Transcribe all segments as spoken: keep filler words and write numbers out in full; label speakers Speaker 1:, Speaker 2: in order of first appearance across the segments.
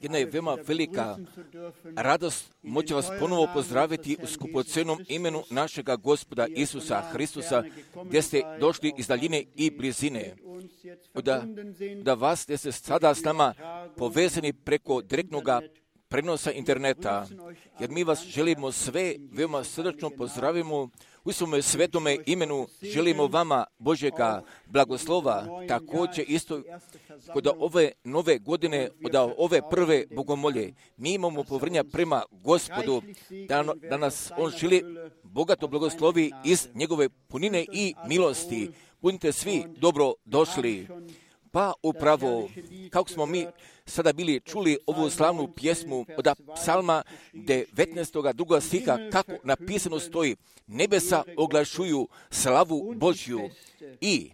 Speaker 1: Jedna je veoma velika radost moći vas ponovo pozdraviti u skupocenom imenu našega Gospoda Isusa Hristusa, gdje ste došli iz daljine i blizine. Da, da vas, gdje ste sada s nama povezani preko direktnog prenosa interneta, jer mi vas želimo sve veoma srdačno pozdravimo u svome svetome imenu, želimo vama Božjega blagoslova, također isto kod ove nove godine, od ove prve bogomolje, mi imamo povrnja prema Gospodu, da, da nas On želi bogato blagoslovi iz njegove punine i milosti. Budite svi dobro došli. Pa upravo, kako smo mi sada bili čuli ovu slavnu pjesmu od psalma devetnaestog drugog stiha, kako napisano stoji, nebesa oglašuju slavu Božju i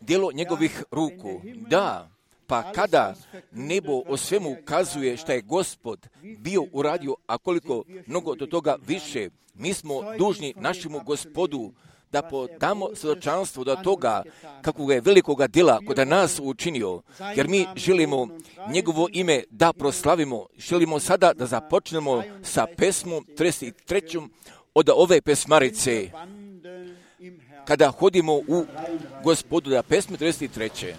Speaker 1: djelo njegovih ruku. Da, pa kada nebo o svemu ukazuje šta je Gospod bio uradio, a koliko mnogo do toga više, mi smo dužni našemu Gospodu da podamo svjedočanstvo do toga kakvog je velikoga djela kod nas učinio, jer mi želimo njegovo ime da proslavimo. Želimo sada da započnemo sa pesmom trideset trećom od ove pesmarice, kada hodimo u Gospodu, da pesme trideset treće.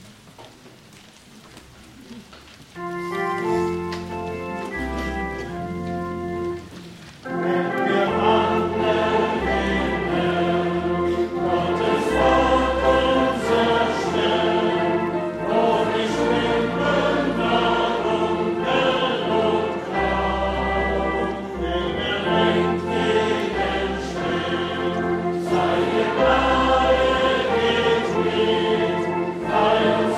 Speaker 2: Fire.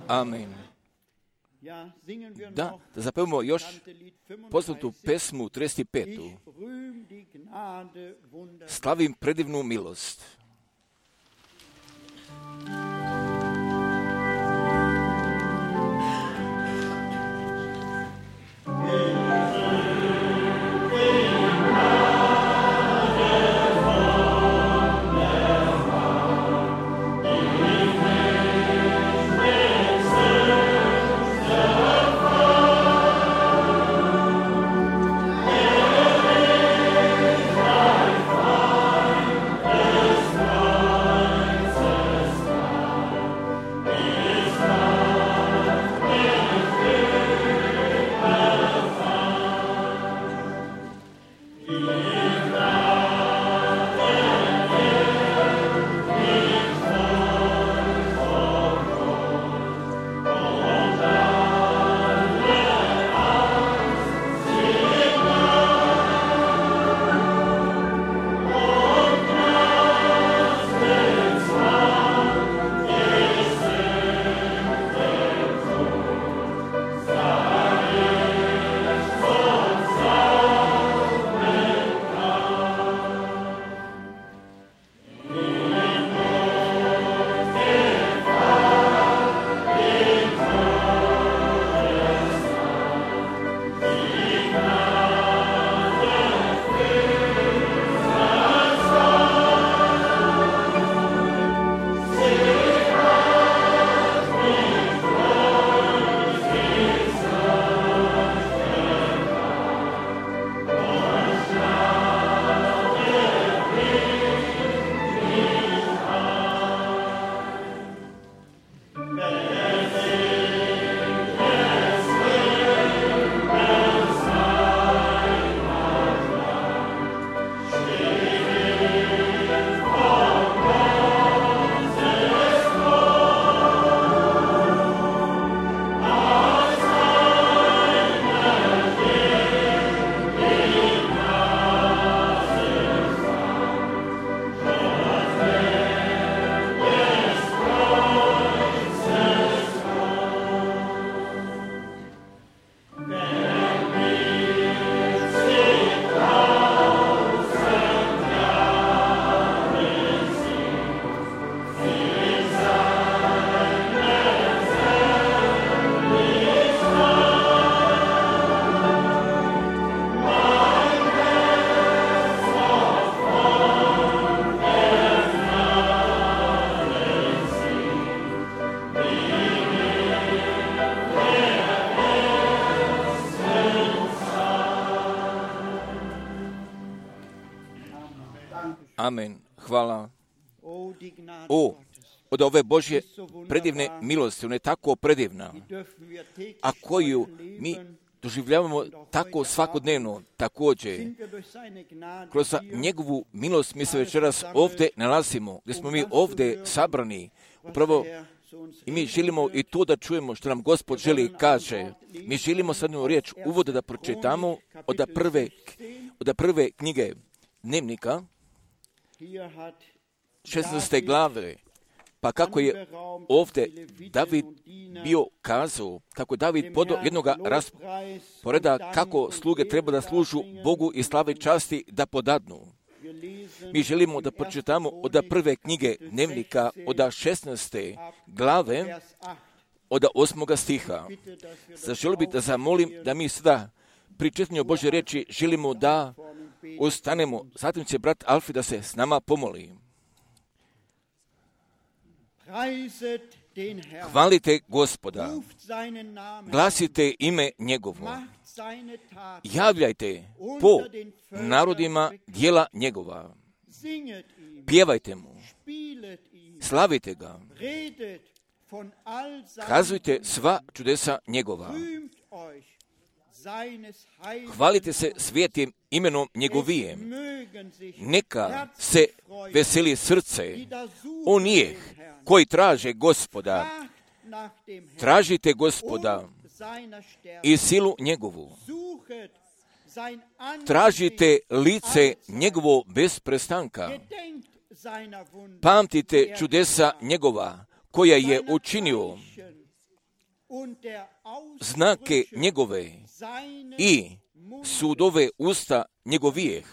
Speaker 1: Amen. Da, da zapevamo još poznatu pesmu trideset petu. Slavim predivnu milost. Amen. Hvala. O, od ove Božje predivne milosti, ona je tako predivna, a koju mi doživljavamo tako svakodnevno, također. Kroz njegovu milost mi se večeras ovdje nalazimo, gdje smo mi ovdje sabrani, upravo i mi želimo i to da čujemo što nam Gospod želi i kaže. Mi želimo sad jednu riječ uvode da pročitamo od prve, od prve knjige Dnevnika, šesnaeste glave, pa kako je ovdje David bio kazao, kako David podao jednoga rasporeda, kako sluge treba da služu Bogu i slave časti da podadnu. Mi želimo da pročitamo od prve knjige Dnevnika, od šesnaeste glave, od osmoga stiha. Zaželio bih da zamolim da mi sada pri čitanju Božje riječi želimo da ostanemo. Zatim će brat Alfi da se s nama pomoli. Hvalite Gospoda, glasite ime njegovo, javljajte po narodima djela njegova, pjevajte mu, slavite ga, kazujte sva čudesa njegova, hvalite se svijetim imenom njegovijem, neka se veseli srce onih koji traže Gospoda, tražite Gospoda i silu njegovu, tražite lice njegovo bez prestanka, pamtite čudesa njegova koja je učinio znake njegove i sudove usta njegovijeh.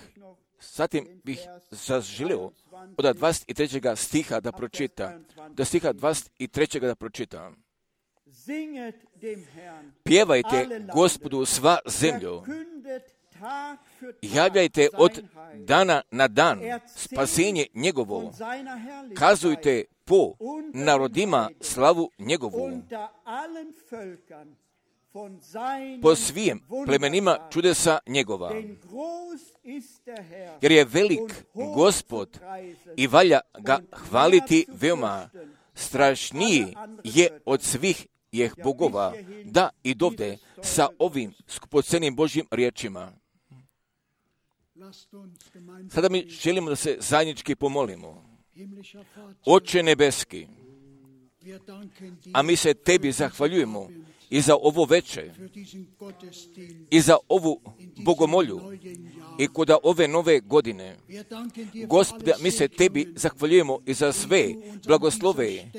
Speaker 1: Zatim bih zaželio od dvadeset trećeg stiha da pročita, da stiha dvadeset trećeg da pročita. Pjevajte Gospodu sva zemljo, javljajte od dana na dan spasenje njegovo, kazujte po narodima slavu njegovu, po svim plemenima čudesa njegova. Jer je velik Gospod i valja ga hvaliti veoma, strašniji je od svih jeh bogova, da i dovde sa ovim skupocenim Božjim riječima. Sada mi želimo da se zajednički pomolimo. Oče nebeski, a mi se tebi zahvaljujemo i za ovo veče, i za ovu bogomolju, i kod ove nove godine. Gospode, mi se tebi zahvaljujemo i za sve blagoslove,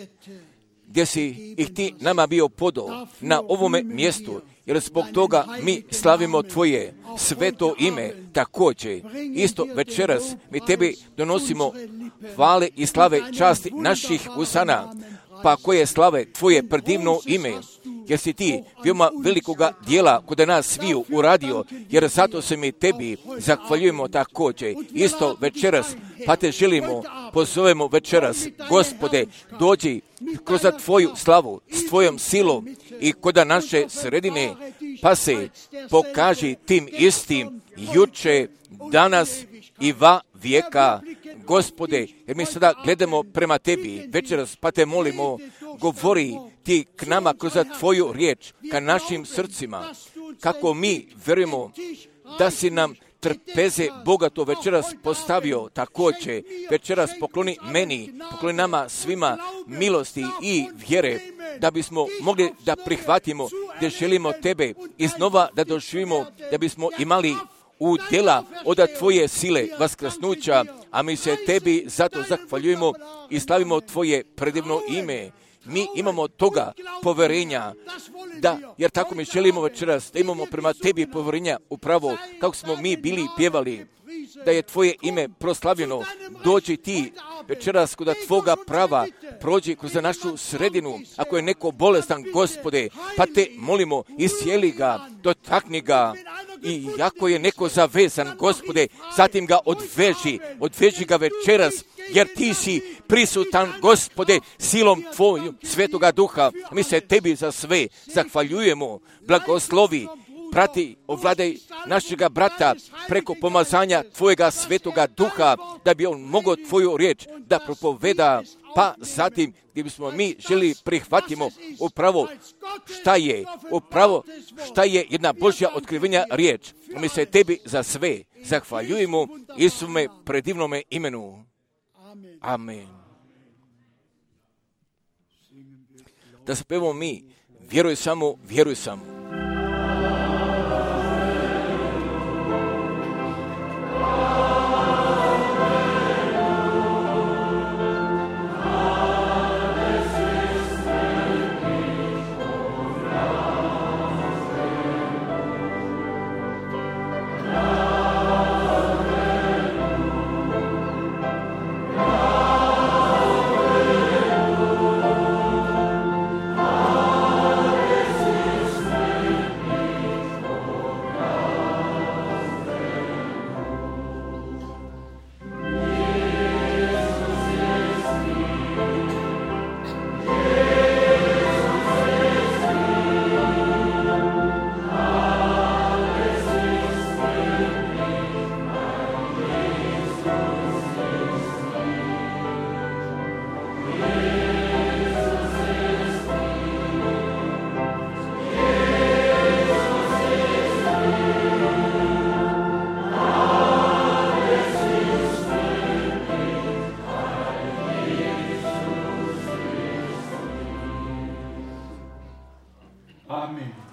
Speaker 1: gdje si ih ti nama bio podao na ovome mjestu, jer zbog toga mi slavimo tvoje sveto ime također. Isto večeras mi tebi donosimo hvale i slave časti naših usana, pa koje slave tvoje predivno ime, jer si ti veoma velikoga dijela kod nas sviju uradio, jer zato se mi tebi zahvaljujemo također. Isto večeras, pa te želimo, pozovemo večeras, Gospode, dođi kroz tvoju slavu, s tvojom silom i kod naše sredine, pa se pokaži tim istim juče, danas i va vijeka. Gospode, jer mi sada gledamo prema tebi večeras, pa te molimo, govori ti k nama kroz tvoju riječ, ka našim srcima, kako mi vjerujemo da si nam trpeze bogato večeras postavio također. Večeras pokloni meni, pokloni nama svima milosti i vjere, da bismo mogli da prihvatimo, da želimo tebe iznova da doživimo, da bismo imali udjela od tvoje sile vaskrsnuća, a mi se tebi zato zahvaljujemo i slavimo tvoje predivno ime. Mi imamo toga poverenja, da, jer tako mi želimo večeras, da imamo prema tebi poverenja upravo kako smo mi bili pjevali, da je tvoje ime proslavljeno. Dođi ti večeras kod tvoga prava, prođi kroz našu sredinu. Ako je neko bolestan, Gospode, pa te molimo, iscijeli ga, dotakni ga. I ako je neko zavezan, Gospode, zatim ga odveži, odveži ga večeras, jer ti si prisutan, Gospode, silom tvojom svetoga duha. Mi se tebi za sve zahvaljujemo. Blagoslovi, prati, ovladaj našega brata preko pomazanja tvojega svetoga duha, da bi on mogao tvoju riječ da propoveda, pa zatim gdje bismo mi želi prihvatimo upravo šta je, upravo šta je jedna Božja otkrivenja riječ. Mi se tebi za sve zahvaljujemo Isume predivnome imenu. Amen. Da spevamo mi, vjeruj samo, vjeruj samo.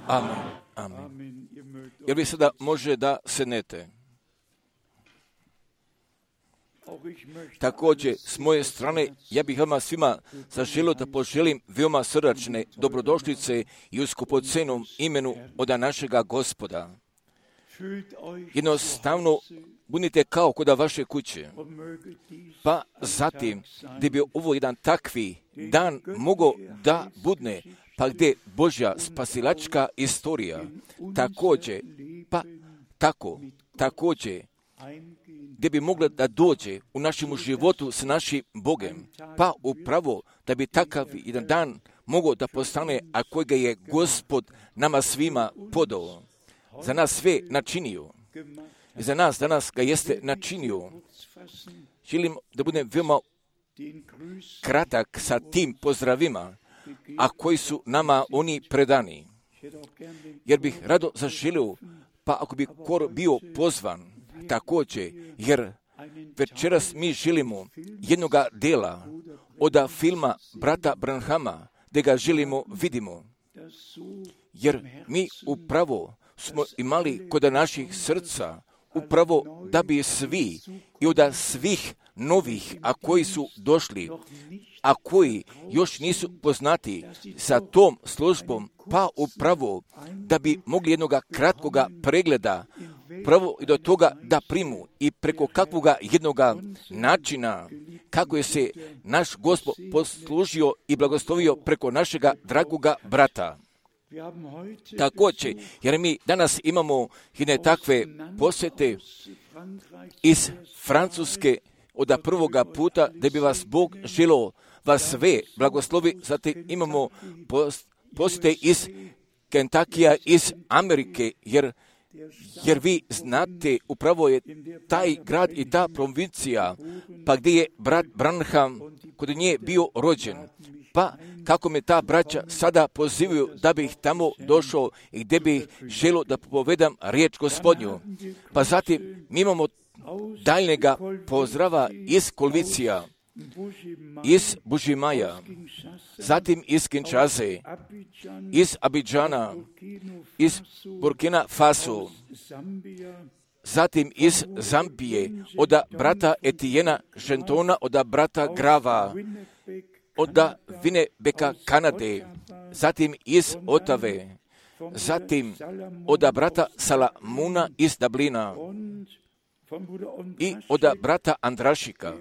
Speaker 1: Amen. Amen. Jer vi sada može da sednete. Također, s moje strane, ja bih vama svima zaželio da poželim veoma srdačne dobrodošlice i u skupocenom imenu od našega Gospoda. Jednostavno, budite kao kod vaše kuće. Pa zatim, gdje bi ovo jedan takvi dan mogao da budne, pa gdje Božja spasilačka istorija također, pa tako, također, gdje bi mogla da dođe u našem životu s našim Bogem, pa upravo da bi takav jedan dan mogao da postane, a kojega je Gospod nama svima podao, za nas sve načinio. I za nas danas ga jeste načinio. Želim da budem veoma kratak sa tim pozdravima, a koji su nama oni predani. Jer bih rado zaželio, pa ako bi kor bio pozvan, također, jer večeras mi želimo jednoga dela od filma brata Branhama, gdje ga želimo vidimo. Jer mi upravo smo imali kod naših srca, upravo da bi svi i od svih novih, a koji su došli, a koji još nisu poznati sa tom službom, pa upravo da bi mogli jednoga kratkoga pregleda pravo i do toga da primu i preko kakvoga jednoga načina kako je se naš Gospod poslužio i blagoslovio preko našega dragoga brata. Također, jer mi danas imamo jedne takve posjete iz Francuske od prvoga puta, da bi vas Bog želio vas sve blagoslovi. Zatim imamo posjete iz Kentakija, iz Amerike, jer, jer vi znate, upravo je taj grad i ta provincija, pa gdje je brat Branham kod nje bio rođen. Pa kako me ta braća sada pozivaju da bih tamo došao i gdje bih želio da povedam riječ Gospodnju. Pa zatim mi imamo daljnjega pozdrava iz Kolvicija, iz Bužimaja, zatim iz Kinshase, iz Abidžana, iz Burkina Faso, zatim iz Zambije, od brata Etijena Žentona, od brata Grava, od Winnebeka, Kanade, zatim iz Otave, zatim od brata Salamuna iz Dublina i od brata Andrašika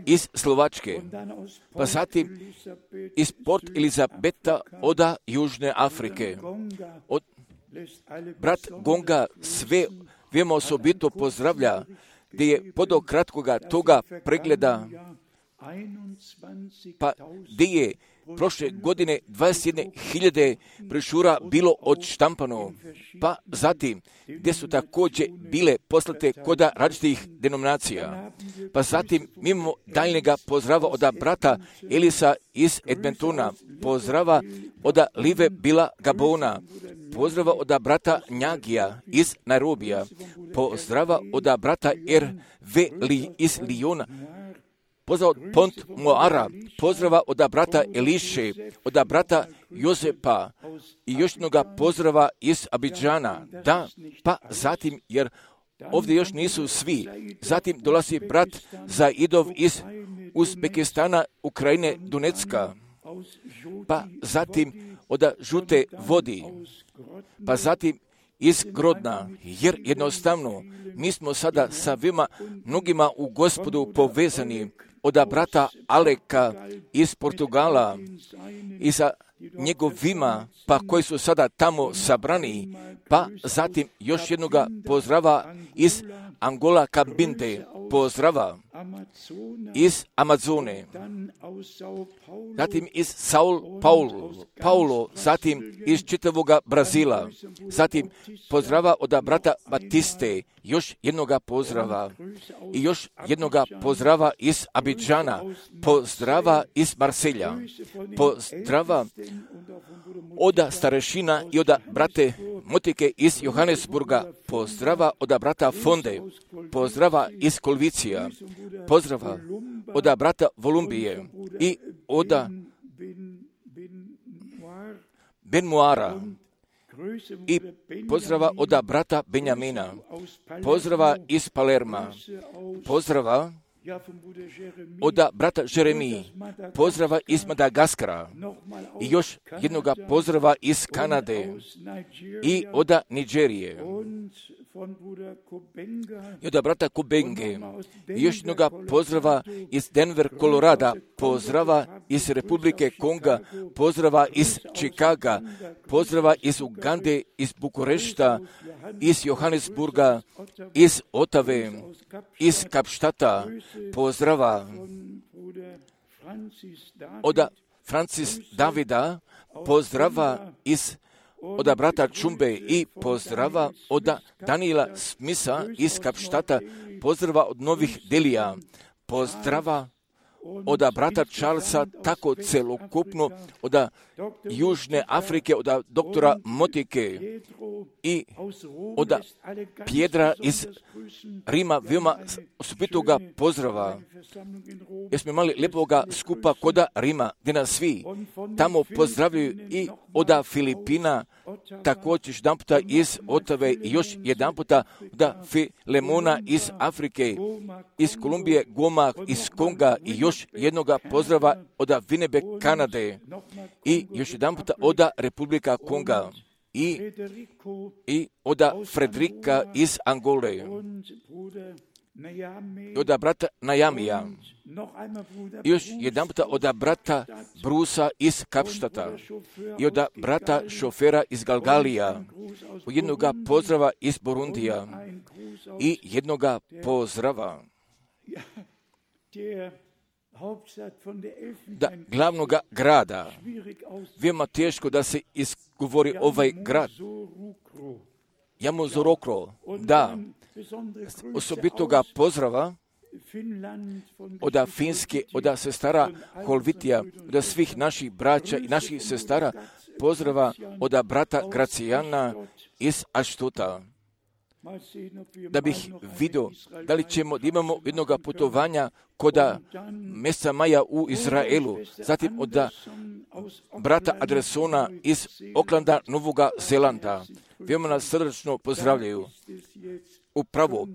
Speaker 1: iz Slovačke, pa zatim iz Port Elizabeta od Južne Afrike. Od brat Gonga sve veoma osobito pozdravlja, gdje je podo kratkoga toga pregleda, pa gdje je prošle godine dvadeset jedne hiljade brošura bilo odštampano, pa zatim gdje su također bile poslate kod različitih denominacija. Pa zatim mi imamo daljnjega pozdrava od brata Elisa iz Edmontona, pozdrava od Live Bila Gabona, pozdrava od brata Njagija iz Nairobija, pozdrava od brata R V iz Lijona, pozdrav od Pont Moara, pozdrava od brata Eliše, od brata Jozepa i još jednoga pozdrava iz Abidžana. Da, pa zatim, jer ovdje još nisu svi. Zatim dolazi brat Zaidov iz Uzbekistana, Ukrajine, Donecka. Pa zatim od Žute vodi. Pa zatim iz Grodna, jer jednostavno mi smo sada sa vima mnogima u Gospodu povezani, od brata Aleka iz Portugala i sa njegovima, pa koji su sada tamo sabrani, pa zatim još jednoga pozdrava iz Angola Kabinde, pozdrava iz Amazone, zatim iz Sao Paulo, Paulo, zatim iz čitavoga Brazila, zatim pozdrava od brata Batiste, još jednoga pozdrava i još jednoga pozdrava iz Abidžana, pozdrava iz Marselja, pozdrava od starešina i od brate Motike iz Johannesburga, pozdrava od brata Fonde, pozdrava iz Kolvicija, pozdrava od brata Volumbije i od Benmuara i pozdrava od brata Benjamina, pozdrava iz Palerma, pozdrava od brata Jeremiji, pozdrava iz Madagaskara i još jednoga pozdrava iz Kanade i od Nigerije i od brata Kubenge i još jednoga pozdrava iz Denver, Kolorada, pozdrava iz Republike Konga, pozdrava iz Čikaga, pozdrava iz Ugande, iz Bukurešta, iz Johannesburga, iz Otave, iz Kapštata, pozdrava od Francis Davida, pozdrava iz od brata Čumbe i pozdrava od Daniela Smisa iz Kapštata, pozdrava od Novih Delija, pozdrava od brata Charlesa, tako celokupno od Južne Afrike, od doktora Motike i od Pjedra iz Rima, veoma osobitoga pozdrava. Jer smo imali lepoga skupa kod Rima, gdje nas svi tamo pozdravljaju i od Filipina, također jedan puta iz Otave i još jedan puta od Filemona iz Afrike, iz Kolumbije, Goma, iz Konga i još jednoga pozdrava od Winnipeg, Kanade i još jedan puta od Republika Konga i, i od Frederika iz Angole i od brata Najamija i još jedan puta od brata Brusa iz Kapštata i od brata šofera iz Galgalija, jednoga pozdrava iz Burundija i jednoga pozdrava da glavnog grada, veoma teško da se izgovori ovaj grad, Yamoussoukro, da, osobitoga pozdrava od Finske, od sestara Holvitija, od svih naših braća i naših sestara, pozdrava od brata Gracijana iz Aštuta. Da bih vidio da li ćemo da imamo jednog putovanja kod mjeseca maja u Izraelu, zatim od brata Adresona iz Oklanda, Novoga Zelanda. Veoma nas srdačno pozdravljaju. Upravo,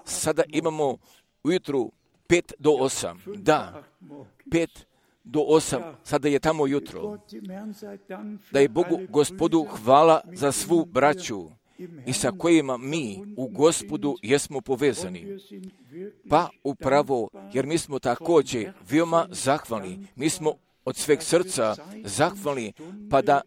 Speaker 1: sada imamo ujutru pet do osam. Da, pet do osam, sada je tamo jutro. Da je Bogu Gospodu hvala za svu braću i sa kojima mi u Gospodu jesmo povezani. Pa upravo, jer mi smo također veoma zahvalni. Mi smo od sveg srca zahvalni, pa da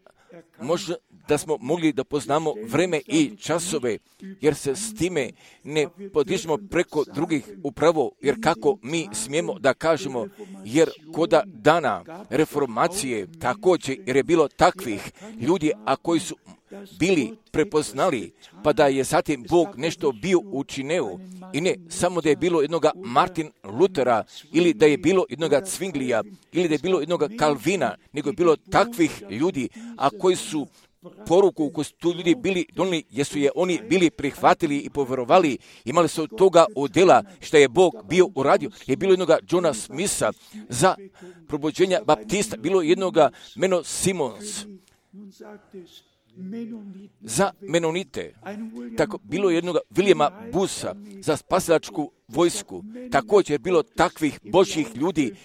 Speaker 1: možda da smo mogli da poznamo vreme i časove, jer se s time ne podižemo preko drugih upravo, jer kako mi smijemo da kažemo, jer koda dana reformacije također, jer je bilo takvih ljudi, a koji su bili prepoznali, pa da je zatim Bog nešto bio učinio, i ne samo da je bilo jednoga Martin Lutera, ili da je bilo jednoga Cvinglija, ili da je bilo jednoga Kalvina, nego je bilo takvih ljudi, a koji su poruku koju su tu ljudi bili donijeli, jesu je oni bili prihvatili i povjerovali, imali su toga udjela što je Bog bio uradio. Je bilo jednoga Johna Smitha za probuđenja baptista, bilo jednoga Meno Simons za Menonite, tako bilo jednoga Williama Busa za spasilačku vojsku. Također je bilo takvih Božjih ljudi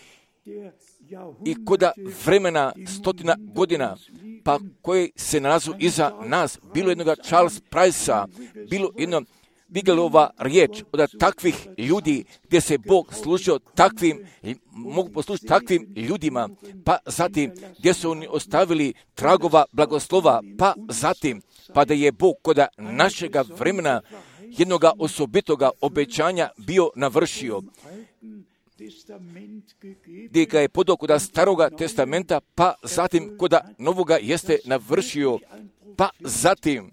Speaker 1: i koda vremena stotina godina, pa koji se nalazu iza nas, bilo jednoga Charles Price-a, bilo jedno Bigelova riječ od takvih ljudi gdje se Bog služio takvim, mogu poslužiti takvim ljudima, pa zatim gdje su oni ostavili tragova blagoslova, pa zatim, pa da je Bog kod našega vremena jednoga osobitoga obećanja bio navršio, gdje ga je podao kod staroga testamenta, pa zatim kod novoga jeste navršio, pa zatim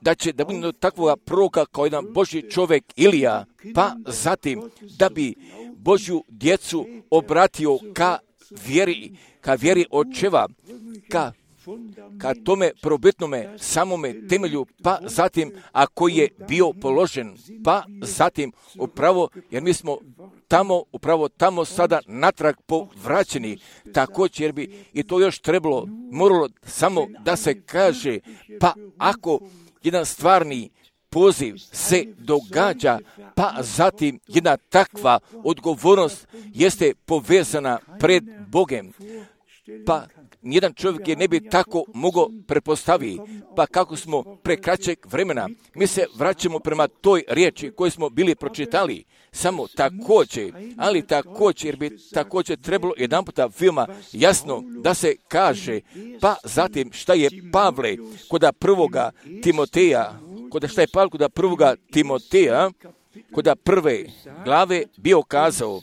Speaker 1: da će da bude takvoga proroka kao jedan Božji čovjek Ilija, pa zatim da bi Božju djecu obratio ka vjeri, ka vjeri očeva, ka ka tome probitnome samome temelju, pa zatim, a koji je bio položen, pa zatim upravo, jer mi smo tamo, upravo tamo sada natrag povraćeni, također jer bi i to još trebalo, moralo samo da se kaže, pa ako jedan stvarni poziv se događa, pa zatim jedna takva odgovornost jeste povezana pred Bogem, pa nijedan čovjek je ne bi tako mogao prepostaviti, pa kako smo pre kraćeg vremena, mi se vraćamo prema toj riječi koju smo bili pročitali, samo također, ali također, jer bi također trebalo jedan puta veoma jasno da se kaže, pa zatim šta je Pavle koda prvoga Timoteja, koda šta je Pavle koda prvoga Timoteja, koda prve glave bio kazao,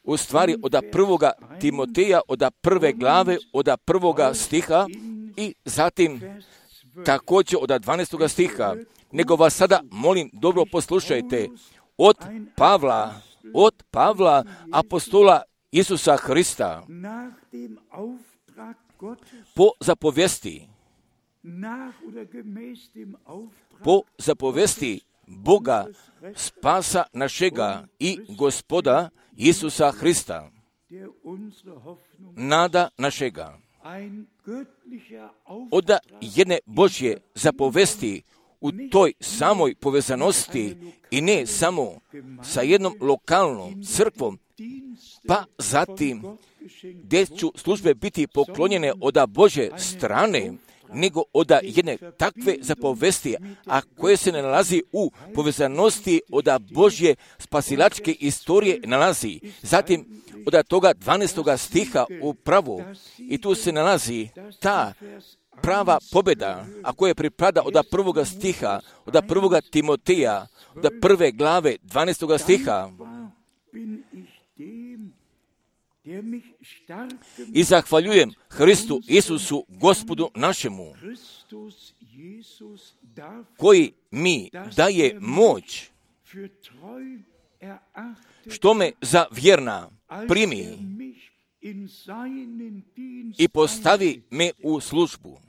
Speaker 1: u stvari od prvoga Timoteja, od prve glave, od prvoga stiha i zatim također od dvanaestoga stiha. Nego vas sada molim, dobro poslušajte, od Pavla, od Pavla, apostola Isusa Hrista, po zapovesti, po zapovesti Boga, spasa našega i Gospoda Isusa Hrista, nada našega. Od jedne Božje zapovesti u toj samoj povezanosti i ne samo sa jednom lokalnom crkvom, pa zatim gdje ću službe biti poklonjene od Božje strane, nego od jedne takve zapovesti, a koje se ne nalazi u povezanosti od Božje spasilačke istorije nalazi. Zatim od toga dvanaestoga stiha upravo i tu se nalazi ta prava pobjeda, a koja pripada od prvoga stiha, od prvoga Timoteja, od prve glave dvanaestoga stiha. I zahvaljujem Hristu Isusu, Gospodu našemu, koji mi daje moć, što me za vjerna primi i postavi me u službu.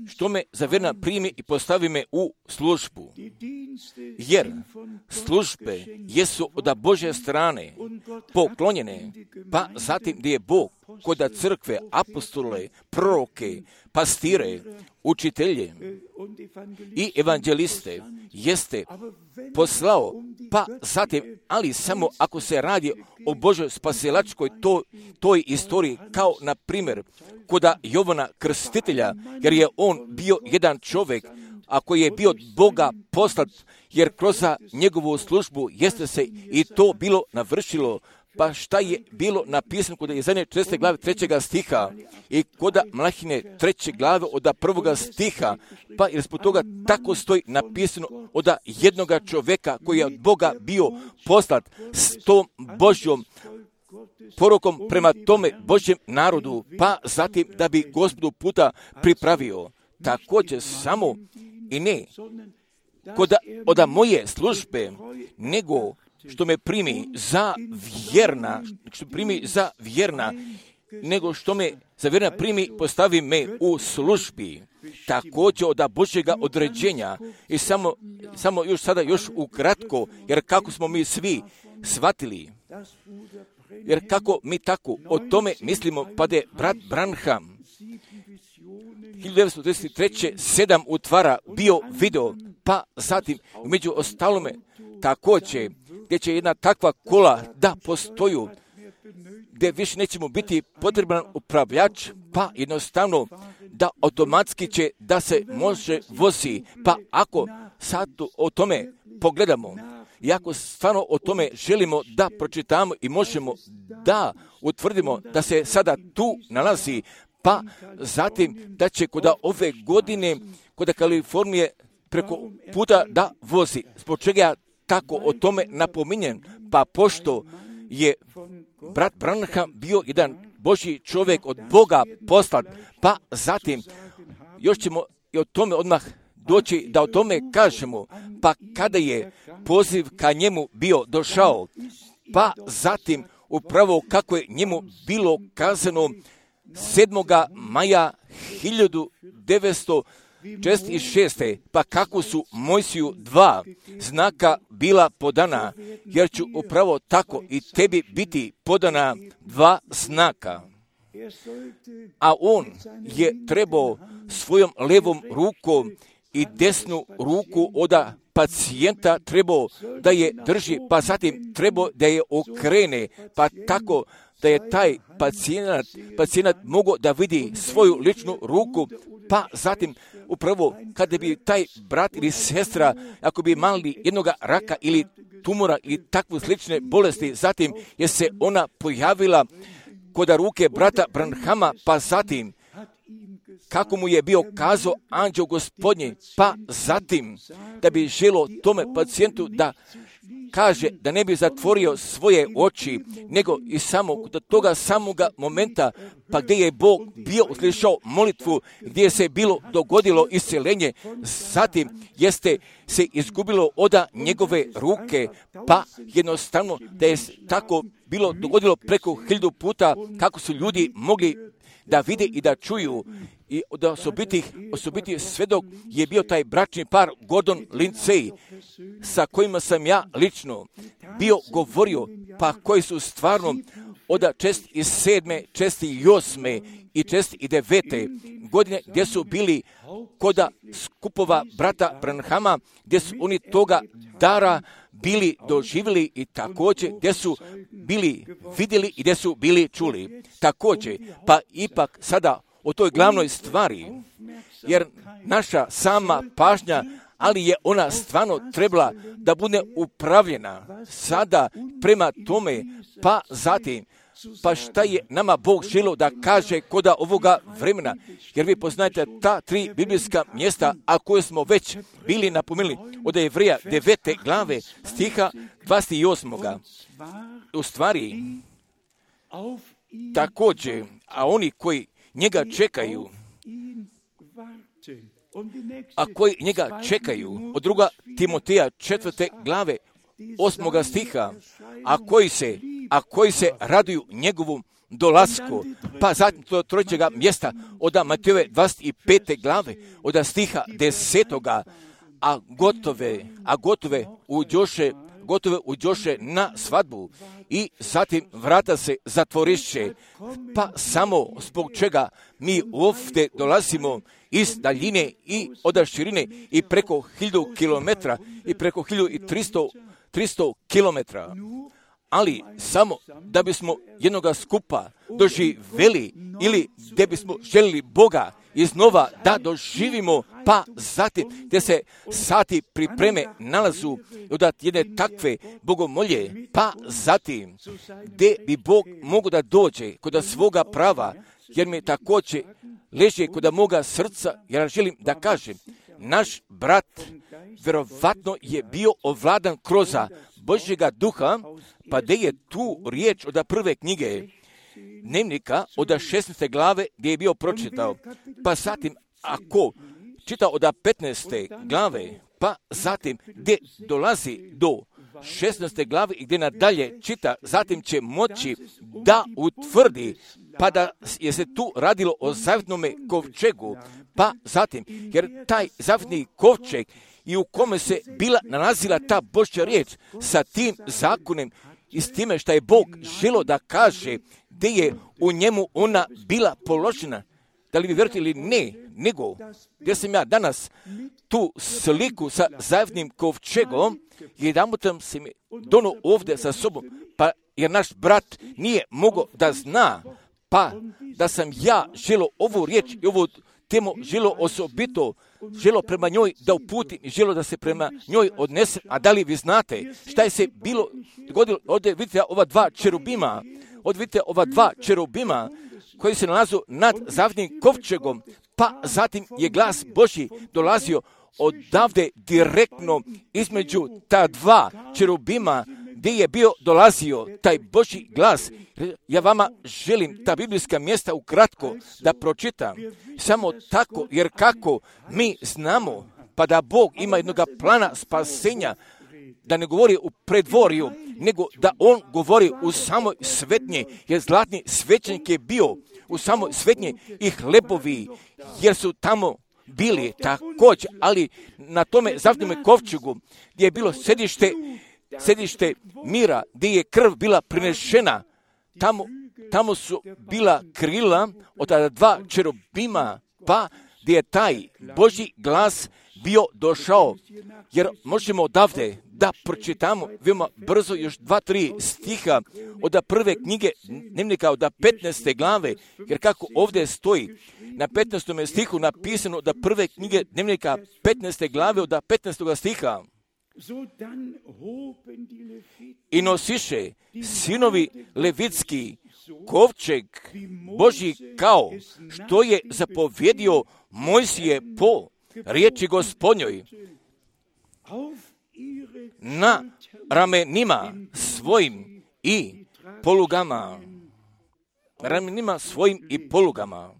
Speaker 1: Što me za vjerna primi i postavi me u službu. Jer službe jesu od Božje strane poklonjene, pa zatim gdje je Bog kod crkve, apostole, proroke, pastire, učitelje i evanđeliste jeste poslao, pa zatim, ali samo ako se radi o Božoj spasilačkoj toj, toj istoriji, kao na primjer kod Jovana Krstitelja, jer je on bio jedan čovjek, a koji je bio od Boga poslat, jer kroz njegovu službu jeste se i to bilo navršilo. Pa šta je bilo napisano kod Jezanje četrnaeste glave trećega stiha i kod Mlahine treće glave od prvoga stiha, pa jer zbog toga tako stoji napisano od jednoga čovjeka koji je od Boga bio poslat s tom Božjom porukom prema tome Božjem narodu, pa zatim da bi Gospodu puta pripravio. Također samo i ne kod od moje službe, nego što me primi za vjerna, što primi za vjerna, nego što me za vjerna primi, postavi me u službi. Također od Božjega određenja. I samo, samo još sada još ukratko, jer kako smo mi svi shvatili, jer kako mi tako o tome mislimo, pa da je brat Branham hiljadu devetsto trideset treće sedam utvara bio video, pa zatim među ostalome također gdje će jedna takva kola da postoju, gdje više nećemo biti potreban upravljač, pa jednostavno da automatski će da se može vozi. Pa ako sad o tome pogledamo, i ako stvarno o tome želimo da pročitamo i možemo da utvrdimo da se sada tu nalazi, pa zatim da će kod ove godine, kod Kalifornije preko puta da vozi. Zbog čega ja tako o tome napominjem? Pa pošto je brat Branham bio jedan Božji čovjek od Boga poslat, pa zatim još ćemo i o tome odmah doći da o tome kažemo, pa kada je poziv ka njemu bio došao, pa zatim upravo kako je njemu bilo kazano sedmoga maja hiljadu devetsto četrdeset šeste. Pa kako su Mojsiju dva znaka bila podana, jer ću upravo tako i tebi biti podana dva znaka. A on je trebao svojom levom rukom i desnu ruku od pacijenta trebao da je drži, pa zatim trebao da je okrene, pa tako da je taj pacijent, pacijent mogao da vidi svoju ličnu ruku, pa zatim upravo kada bi taj brat ili sestra, ako bi imali jednog raka ili tumora ili takvu slične bolesti, zatim je se ona pojavila kod ruke brata Branhama, pa zatim kako mu je bio kazao anđeo Gospodnji, pa zatim da bi želo tome pacijentu da kaže da ne bi zatvorio svoje oči, nego i samo do toga samoga momenta, pa gdje je Bog bio uslišao molitvu, gdje se bilo dogodilo isceljenje, zatim jeste se izgubilo oda njegove ruke, pa jednostavno da je tako bilo dogodilo preko hiljadu puta, kako su ljudi mogli da vide i da čuju. I da osobitih, osobitih svedok je bio taj bračni par Gordon Lindsay, sa kojima sam ja lično bio govorio, pa koji su stvarno od četrdeset sedme, četrdeset osme i četrdeset devete godine, gdje su bili kod skupova brata Branhama, gdje su oni toga dara bili doživjeli i također gdje su bili vidjeli i gdje su bili čuli. Također, pa ipak sada o toj glavnoj stvari, jer naša sama pažnja, ali je ona stvarno trebala da bude upravljena sada prema tome, pa zatim, pa šta je nama Bog želio da kaže koda ovoga vremena, jer vi poznajete ta tri biblijska mjesta, a koje smo već bili napomenuli od Jevreja devete glave stiha dvadeset osam. U stvari, također, a oni koji njega čekaju, a koji njega čekaju, od druga Timoteja četvrte glave osmoga stiha, a koji se, a koji se raduju njegovom dolasku, pa zatim to trećega mjesta od Matejove dvadeset pete glave, od stiha desetoga, a gotove, a gotove uđoše, gotove uđoše na svadbu i zatim vrata se zatvoriše, pa samo zbog čega mi ovdje dolazimo iz daljine i od širine i preko hiljadu kilometra i preko hiljadu tristo kilometra, ali samo da bismo jednoga skupa doživjeli ili da bismo željeli Boga iznova da doživimo, pa zatim gdje se sati pripreme nalazu od jedne takve bogomolje, pa zatim gdje bi Bog mogo da dođe kod svoga prava, jer mi također leži kod moga srca, jer želim da kažem, naš brat vjerovatno je bio ovladan kroz Božjega duha, pa gdje je tu riječ od prve knjige Dnevnika od šesnaeste glave gdje je bio pročitao, pa zatim ako čita od petnaeste glave, pa zatim gdje dolazi do šesnaeste glave i gdje nadalje čita, zatim će moći da utvrdi, pa da je se tu radilo o zavjetnome kovčegu, pa zatim, jer taj zavjetni kovčeg i u kome se bila nalazila ta Božja riječ sa tim zakonom i s time što je Bog želio da kaže gdje je u njemu ona bila položena. Da li vi vjerujete ili ne, nego gdje sam ja danas tu sliku sa zavjetnim kovčegom, jedanput se mi dono ovdje sa sobom, pa jer naš brat nije mogao da zna, pa da sam ja želio ovu riječ i ovu temu želio osobito, želio prema njoj da uputim i želio da se prema njoj odnese. A da li vi znate šta je se bilo dogodilo? Ovdje vidite ova dva čerubima, ovdje vidite ova dva čerubima koji se nalazu nad zavjetnim kovčegom, pa zatim je glas Božji dolazio odavde direktno između ta dva čerubima gdje je bio dolazio taj Božji glas. Ja vama želim ta biblijska mjesta ukratko da pročitam. Samo tako, jer kako mi znamo, pa da Bog ima jednog plana spasenja, da ne govori u predvorju, nego da on govori u samoj svetnje, jer zlatni svećenik je bio u samoj svetnje i hlebovi, jer su tamo bili također, ali na tome zavnome kovčegu gdje je bilo sedište, sedište mira, gdje je krv bila prinešena, tamo, tamo su bila krila od tada dva čerubima, pa gdje je taj Božji glas bio došao, jer možemo odavde da pročitamo veoma brzo još dva, tri stiha od prve knjige dnevnika, od petnaeste glave, jer kako ovdje stoji na petnaestom stihu napisano da prve knjige dnevnika petnaeste glave od petnaestog stiha. I nosiše sinovi levitski kovčeg Božji kao što je zapovjedio Mojsije po riječi Gospodnjoj, na ramenima svojim i polugama. Ramenima svojim i polugama.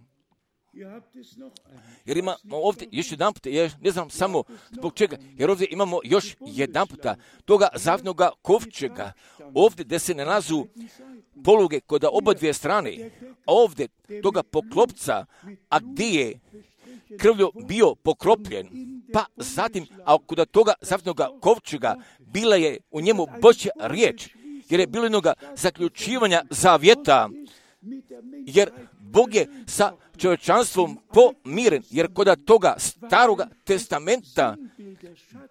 Speaker 1: Jer ima ovdje još jedan puta, ja ne znam samo zbog čega, jer ovdje imamo još jedan puta toga zavnoga kovčega, ovdje gdje se nalazu poluge kod oba dvije strane, a ovdje toga poklopca, a gdje je krvlju bio pokropljen, pa zatim, a kod toga zavnoga kovčega bila je u njemu Božja riječ, jer je bilo jednoga zaključivanja zavjeta, jer Bog je sa čovječanstvom pomiren, jer kod toga staroga testamenta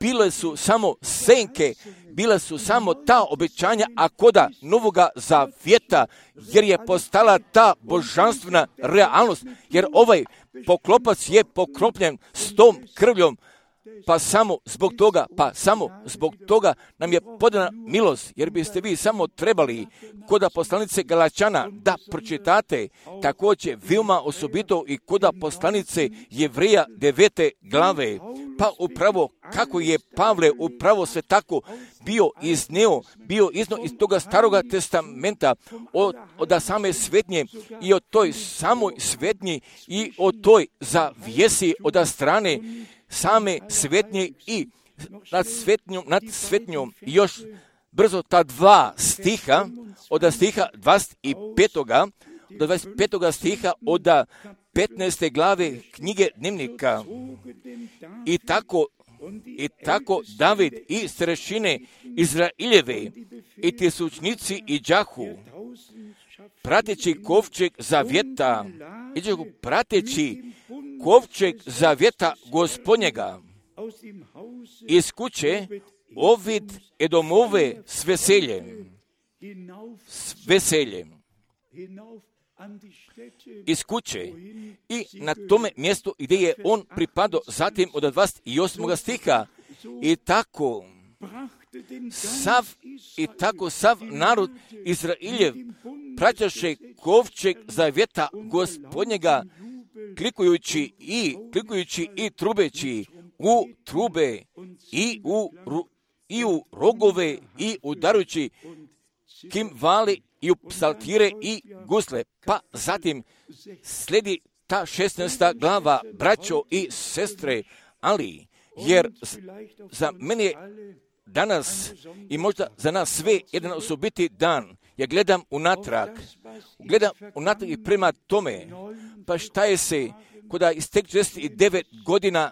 Speaker 1: bile su samo senke, bile su samo ta obećanja, a kod novoga zavjeta, jer je postala ta božanstvena realnost, jer ovaj poklopac je pokropljen s tom krvljom, pa samo zbog toga, pa samo zbog toga nam je podana milost, jer biste vi samo trebali kod poslanice Galačana da pročitate također veoma osobito i kod poslanice Jevreja devete glave, pa upravo kako je Pavle upravo sve tako bio izneo, bio izno iz toga staroga testamenta, od, od same svetnje i od toj samoj svetnji i od toj zavjesi od strane same svetnje i nad svetnjom, nad svetnjom još brzo ta dva stiha, od stiha dvadeset petoga do dvadeset petoga stiha od petnaeste glave knjige dnevnika. I tako, i tako David i starešine Izraeljeve i tisućnici i đahu, prateći kovčeg zavjeta, iđehu prateći kovčeg zavjeta Gospodnjega, iz kuće Ovid Edomove s veseljem, s veseljem, iz kuće i na tome mjestu gdje je on pripadao, zatim od dvadeset osmog stiha, i tako sav, i tako sav narod Izraeljev praćaše kovčeg zavjeta Gospodnjega, klikujući i klikujući i trubeći u trube i u, i u rogove i udarujući kimvali i u psaltire i gusle. Pa zatim slijedi ta šesnaesta glava, braćo i sestre, ali jer za mene je danas i možda za nas sve jedan osobiti dan. Ja gledam unatrag, gledam unatrag i prema tome, pa šta je se kada iz tek šezdeset devet godina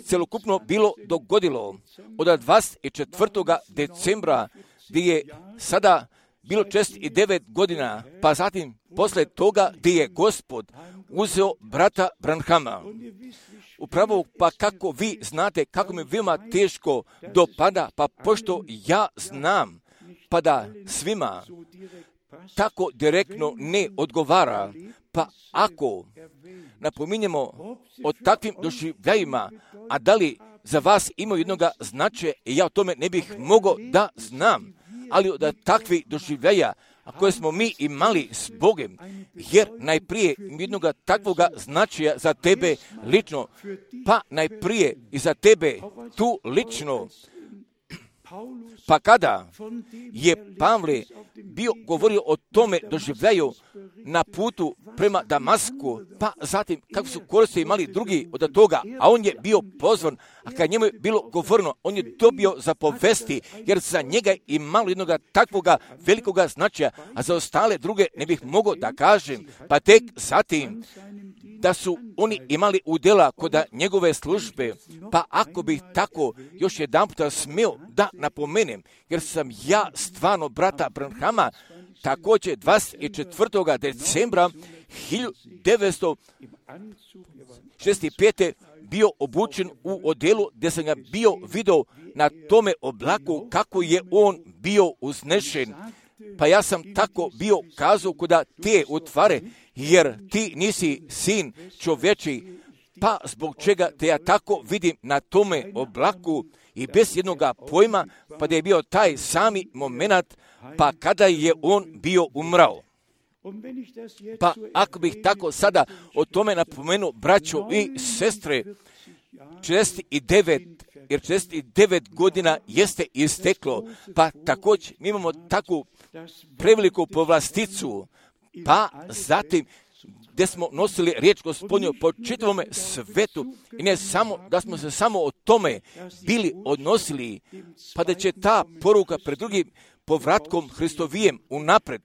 Speaker 1: celokupno bilo dogodilo od dvadeset četvrtog decembra, gdje je sada bilo šezdeset devet godina, pa zatim posle toga gdje je Gospod uzeo brata Branhama. Upravo, pa kako vi znate, kako mi veoma teško dopada, pa pošto ja znam, pa da svima tako direktno ne odgovara, pa ako napominjemo o takvim doživljajima, a da li za vas imaju jednoga značaja, ja o tome ne bih mogao da znam, ali od takvih doživljaja, a koje smo mi imali s Bogem, jer najprije jednoga takvoga značaja za tebe lično, pa najprije i za tebe tu lično, Pa kada je Pavle bio govorio o tome doživljaju na putu prema Damasku, pa zatim kako su koristi imali drugi od toga, a on je bio pozvan, a kad njemu je bilo govoreno, on je dobio zapovesti, jer za njega je imalo jednog takvoga velikoga značaja, a za ostale druge ne bih mogao da kažem, pa tek zatim da su oni imali udjela kod njegove službe, pa ako bih tako još jedan puta smio da napomenem, jer sam ja stvarno brata Branhama također dvadeset četvrtog decembra hiljadu devetsto šezdeset pete bio obučen u odjelu gdje sam ga bio vidio na tome oblaku kako je on bio uznešen. Pa ja sam tako bio kazao kuda te utvare, jer ti nisi sin čovječi, pa zbog čega te ja tako vidim na tome oblaku i bez jednoga pojma, pa da je bio taj sami moment, pa kada je on bio umrao. Pa ako bih tako sada o tome napomenuo, braćo i sestre, četrdeset devet, jer četrdeset devet godina jeste isteklo, pa također mi imamo takvu preveliku povlasticu, pa zatim gdje smo nosili riječ Gospodnju po čitavome svetu i ne samo da smo se samo o tome bili odnosili, pa da će ta poruka pred drugim povratkom Hristovijem unapred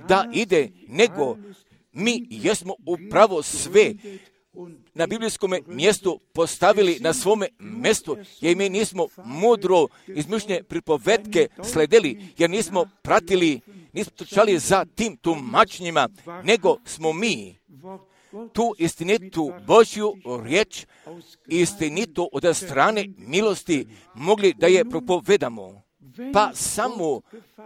Speaker 1: da ide, nego mi jesmo upravo sve na biblijskom mjestu postavili na svome mjestu, jer mi nismo mudro izmišljene pripovetke sledili, jer nismo pratili, nismo trčali za tim tumačenjima, nego smo mi tu istinitu Božju riječ, istinitu od strane milosti mogli da je propovedamo. Pa samo,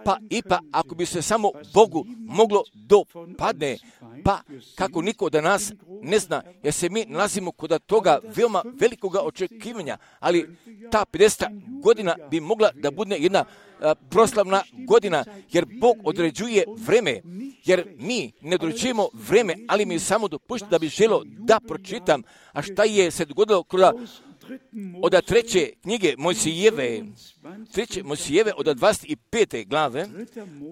Speaker 1: pa i pa ako bi se samo Bogu moglo dopadne, pa kako niko da nas ne zna, jer se mi nalazimo kod toga veoma velikoga očekivanja, ali ta pedeset godina bi mogla da bude jedna a, proslavna godina, jer Bog određuje vreme, jer mi ne određujemo vreme, ali mi samo dopušta da bi želio da pročitam, a šta je se dogodilo kod od treće knjige Mojsijeve, treće Mojsijeve od dvadeset pete glave,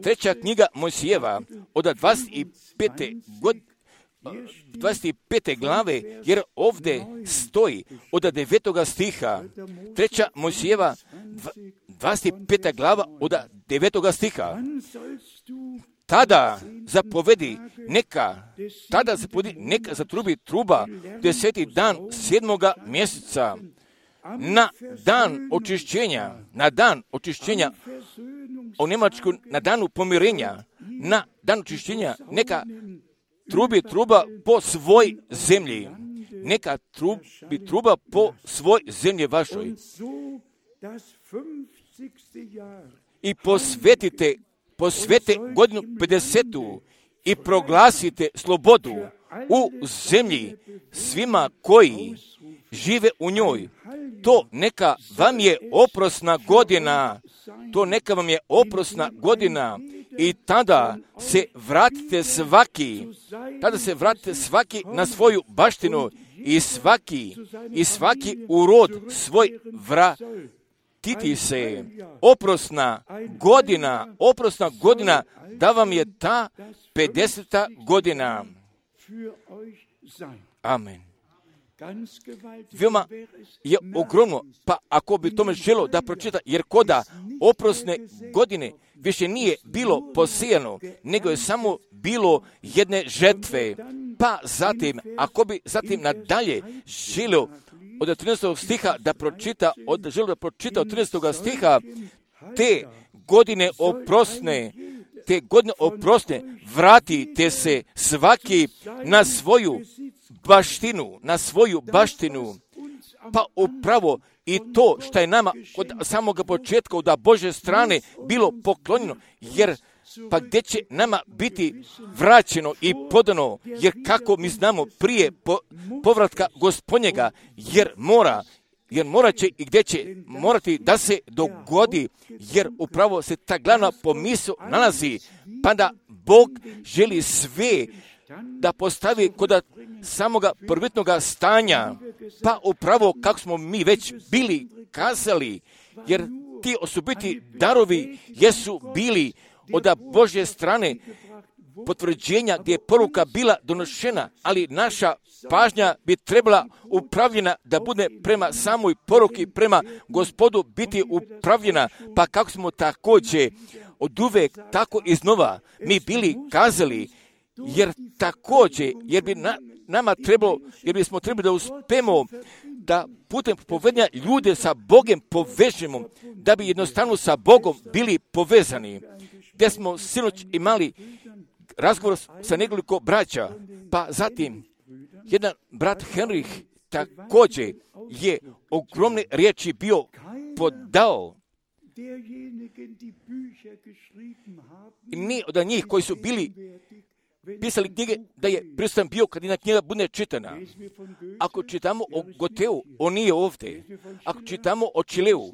Speaker 1: treća knjiga Mojsijeva od dvadeset pete godine, dvadeset pete glave, jer ovdje stoji od devetoga stiha, treća Mojsijeva, dvadeset peta glava od devetoga stiha. Tada zapovedi neka, tada zapovedi neka zatrubi truba deseti dan sedmoga mjeseca, na dan očišćenja, na dan očišćenja, u Njemačku na danu pomirenja, na dan očišćenja, neka trubi truba po svoj zemlji, neka trubi truba po svoj zemlji vašoj. I posvetite posvete godinu pedesetu i proglasite slobodu u zemlji svima koji žive u njoj. To neka vam je oprosna godina, to neka vam je oprosna godina i tada se vratite svaki, tada se vratite svaki na svoju baštinu i svaki, i svaki urod svoj vrat. Titi se, oprosna godina, oprosna godina, da vam je ta pedeseta godina. Amen. Veoma je ogromno, pa ako bi tome želo da pročita, jer koda oprosne godine više nije bilo posijano, nego je samo bilo jedne žetve. Pa zatim, ako bi zatim nadalje želio od trinaestog stiha da pročita, od, želio da pročita od trinaestog stiha, te godine oprosne, te godine oprosne, vratite se svaki na svoju baštinu, na svoju baštinu, pa upravo i to što je nama od samoga početka od Božje strane bilo poklonjeno, jer pa gdje će nama biti vraćeno i podano, jer kako mi znamo prije po, povratka Gospodnjega, jer mora, jer morat će i gdje će morati da se dogodi, jer upravo se ta glavna pomisao nalazi, pa da Bog želi sve da postavi kod samoga prvotnoga stanja, pa upravo kako smo mi već bili kazali, jer ti osobiti darovi jesu bili od Božje strane potvrđenja gdje je poruka bila donošena, ali naša pažnja bi trebala upravljena da bude prema samoj poruki, prema Gospodu biti upravljena, pa kako smo također od uvek tako iznova mi bili kazali, jer također, jer bi na, nama trebalo, jer bismo trebali da uspemo da putem povedanja ljude sa Bogom povežemo, da bi jednostavno sa Bogom bili povezani. Gdje smo sinoć imali razgovor sa nekoliko braća, pa zatim jedan brat Henrich također je ogromne riječi bio podao. I ni od njih koji su bili pisali knjige, da je prisutan bio kad jedna knjiga bude čitana. Ako čitamo o Goteu, on nije ovdje. Ako čitamo o Čileu,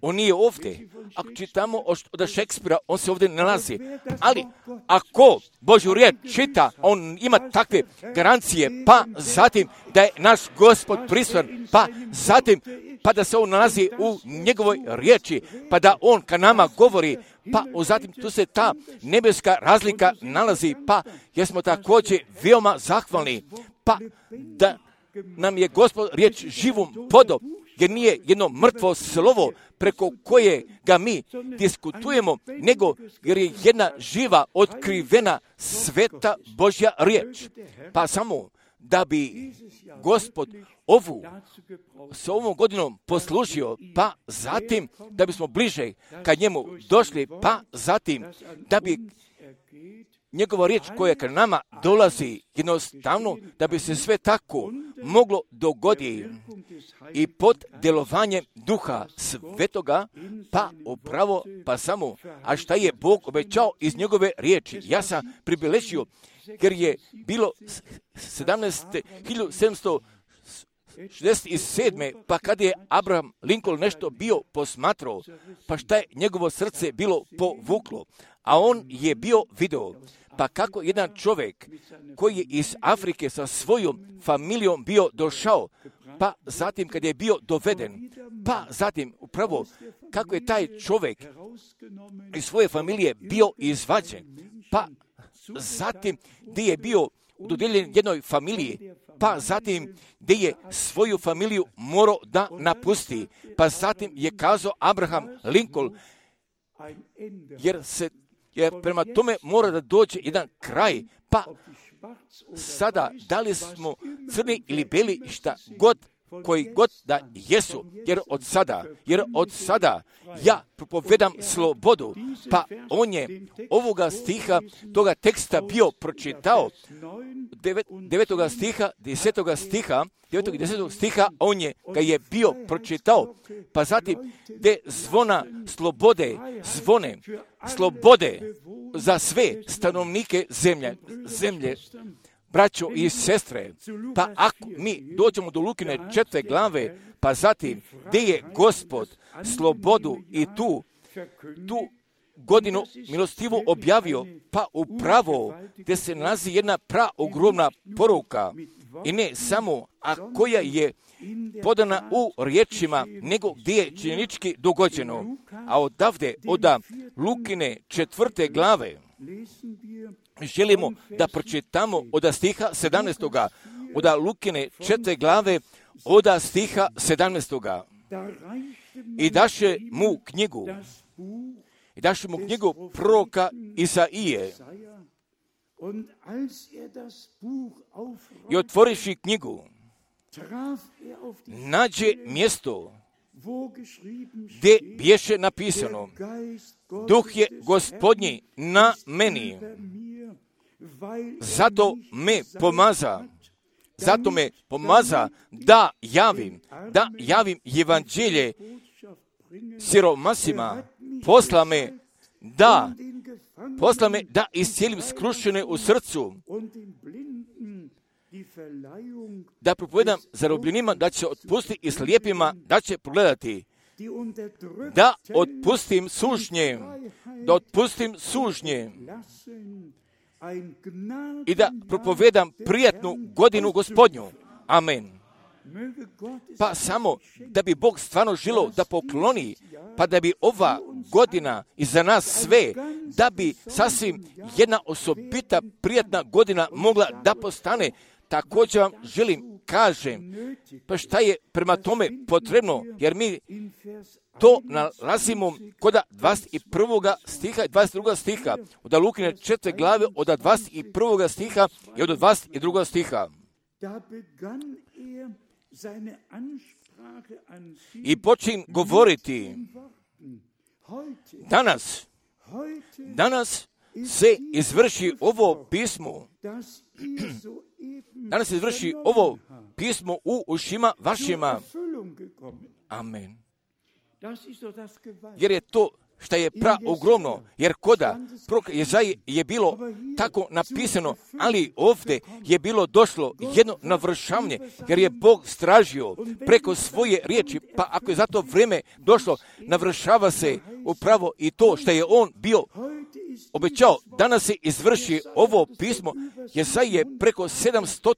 Speaker 1: on nije ovdje. Ako čitamo od Šekspira, on se ovdje nalazi. Ali ako Božju riječ čita, on ima takve garancije, pa zatim da je naš Gospod prisutan, pa zatim pa da se on nalazi u njegovoj riječi, pa da on ka nama govori, pa zatim tu se ta nebeska razlika nalazi, pa jesmo također veoma zahvalni, pa da nam je Gospod riječ živom podom, jer nije jedno mrtvo slovo preko koje ga mi diskutujemo, nego jer je jedna živa, otkrivena, sveta Božja riječ. Pa samo da bi Gospod ovu s ovom godinom poslužio, pa zatim da bismo bliže ka njemu došli, pa zatim da bi njegova riječ koja ka nama dolazi jednostavno, da bi se sve tako moglo dogoditi i pod djelovanjem Duha Svetoga, pa upravo, pa samo, a šta je Bog obećao iz njegove riječi. Ja sam pribilježio, jer je bilo hiljadu sedamsto šezdeset sedme pa kada je Abraham Lincoln nešto bio posmatrao, pa šta je njegovo srce bilo povuklo, a on je bio video, pa kako jedan čovjek koji je iz Afrike sa svojom familijom bio došao, pa zatim kad je bio doveden, pa zatim upravo kako je taj čovjek iz svoje familije bio izvađen, pa zatim gdje je bio dodijeljen jednoj familiji, pa zatim gdje je svoju familiju morao da napusti, pa zatim je kazao Abraham Lincoln, jer se jer prema tome mora da dođe jedan kraj, pa sada da li smo crni ili beli, šta god, koji god da jesu, jer od sada, jer od sada ja propovedam slobodu, pa on je ovoga stiha, toga teksta bio pročitao, devet, devetoga stiha, desetoga stiha, devetog i desetog stiha, on je ga je bio pročitao, pa zatim gdje zvona slobode, zvone slobode za sve stanovnike zemlje, zemlje, braćo i sestre, pa ako mi dođemo do Lukine četvrte glave, pa zatim gdje je Gospod slobodu i tu, tu godinu milostivu objavio, pa upravo gdje se nalazi jedna pra ogromna poruka i ne samo, a koja je podana u riječima, nego gdje je činjenički dogođeno. A odavde, od Lukine četvrte glave, želimo da pročitamo od stiha sedamnaestoga, od Lukine četvrte glave, od stiha sedamnaestoga. I daše mu knjigu, i daše mu knjigu proroka Isaije. I otvoriši knjigu, nađe mjesto gdje bješe napisano: Duh je Gospodnji na meni, zato me pomaza, zato me pomaza da javim, da javim evanđelje siromasima, posla me da, posla me da iscijelim skrušene u srcu, da propovedam zarobljenima da će otpustiti i slijepima da će progledati, da otpustim sužnje, da otpustim sužnje i da propovedam prijatnu godinu Gospodnju. Amen. Pa samo da bi Bog stvarno želio da pokloni, pa da bi ova godina i za nas sve, da bi sasvim jedna osobita prijatna godina mogla da postane. Također vam želim kažem, pa šta je prema tome potrebno, jer mi to nalazimo kod dvadeset prvog stiha i dvadeset drugog stiha, od Lukine četvrte glave, od dvadeset prvog stiha i od dvadeset drugog stiha. I počin govoriti, danas, danas se izvrši ovo pismo, danas se izvrši ovo pismo u ušima vašima. Amen. Jer je to što je pra ogromno, jer koda proroka Jezaje je bilo tako napisano, ali ovdje je bilo došlo jedno navršavanje, jer je Bog stražio preko svoje riječi, pa ako je za to vrijeme došlo, navršava se upravo i to što je on bio obećao. Danas se izvrši ovo pismo. Jezaje je preko sedamsto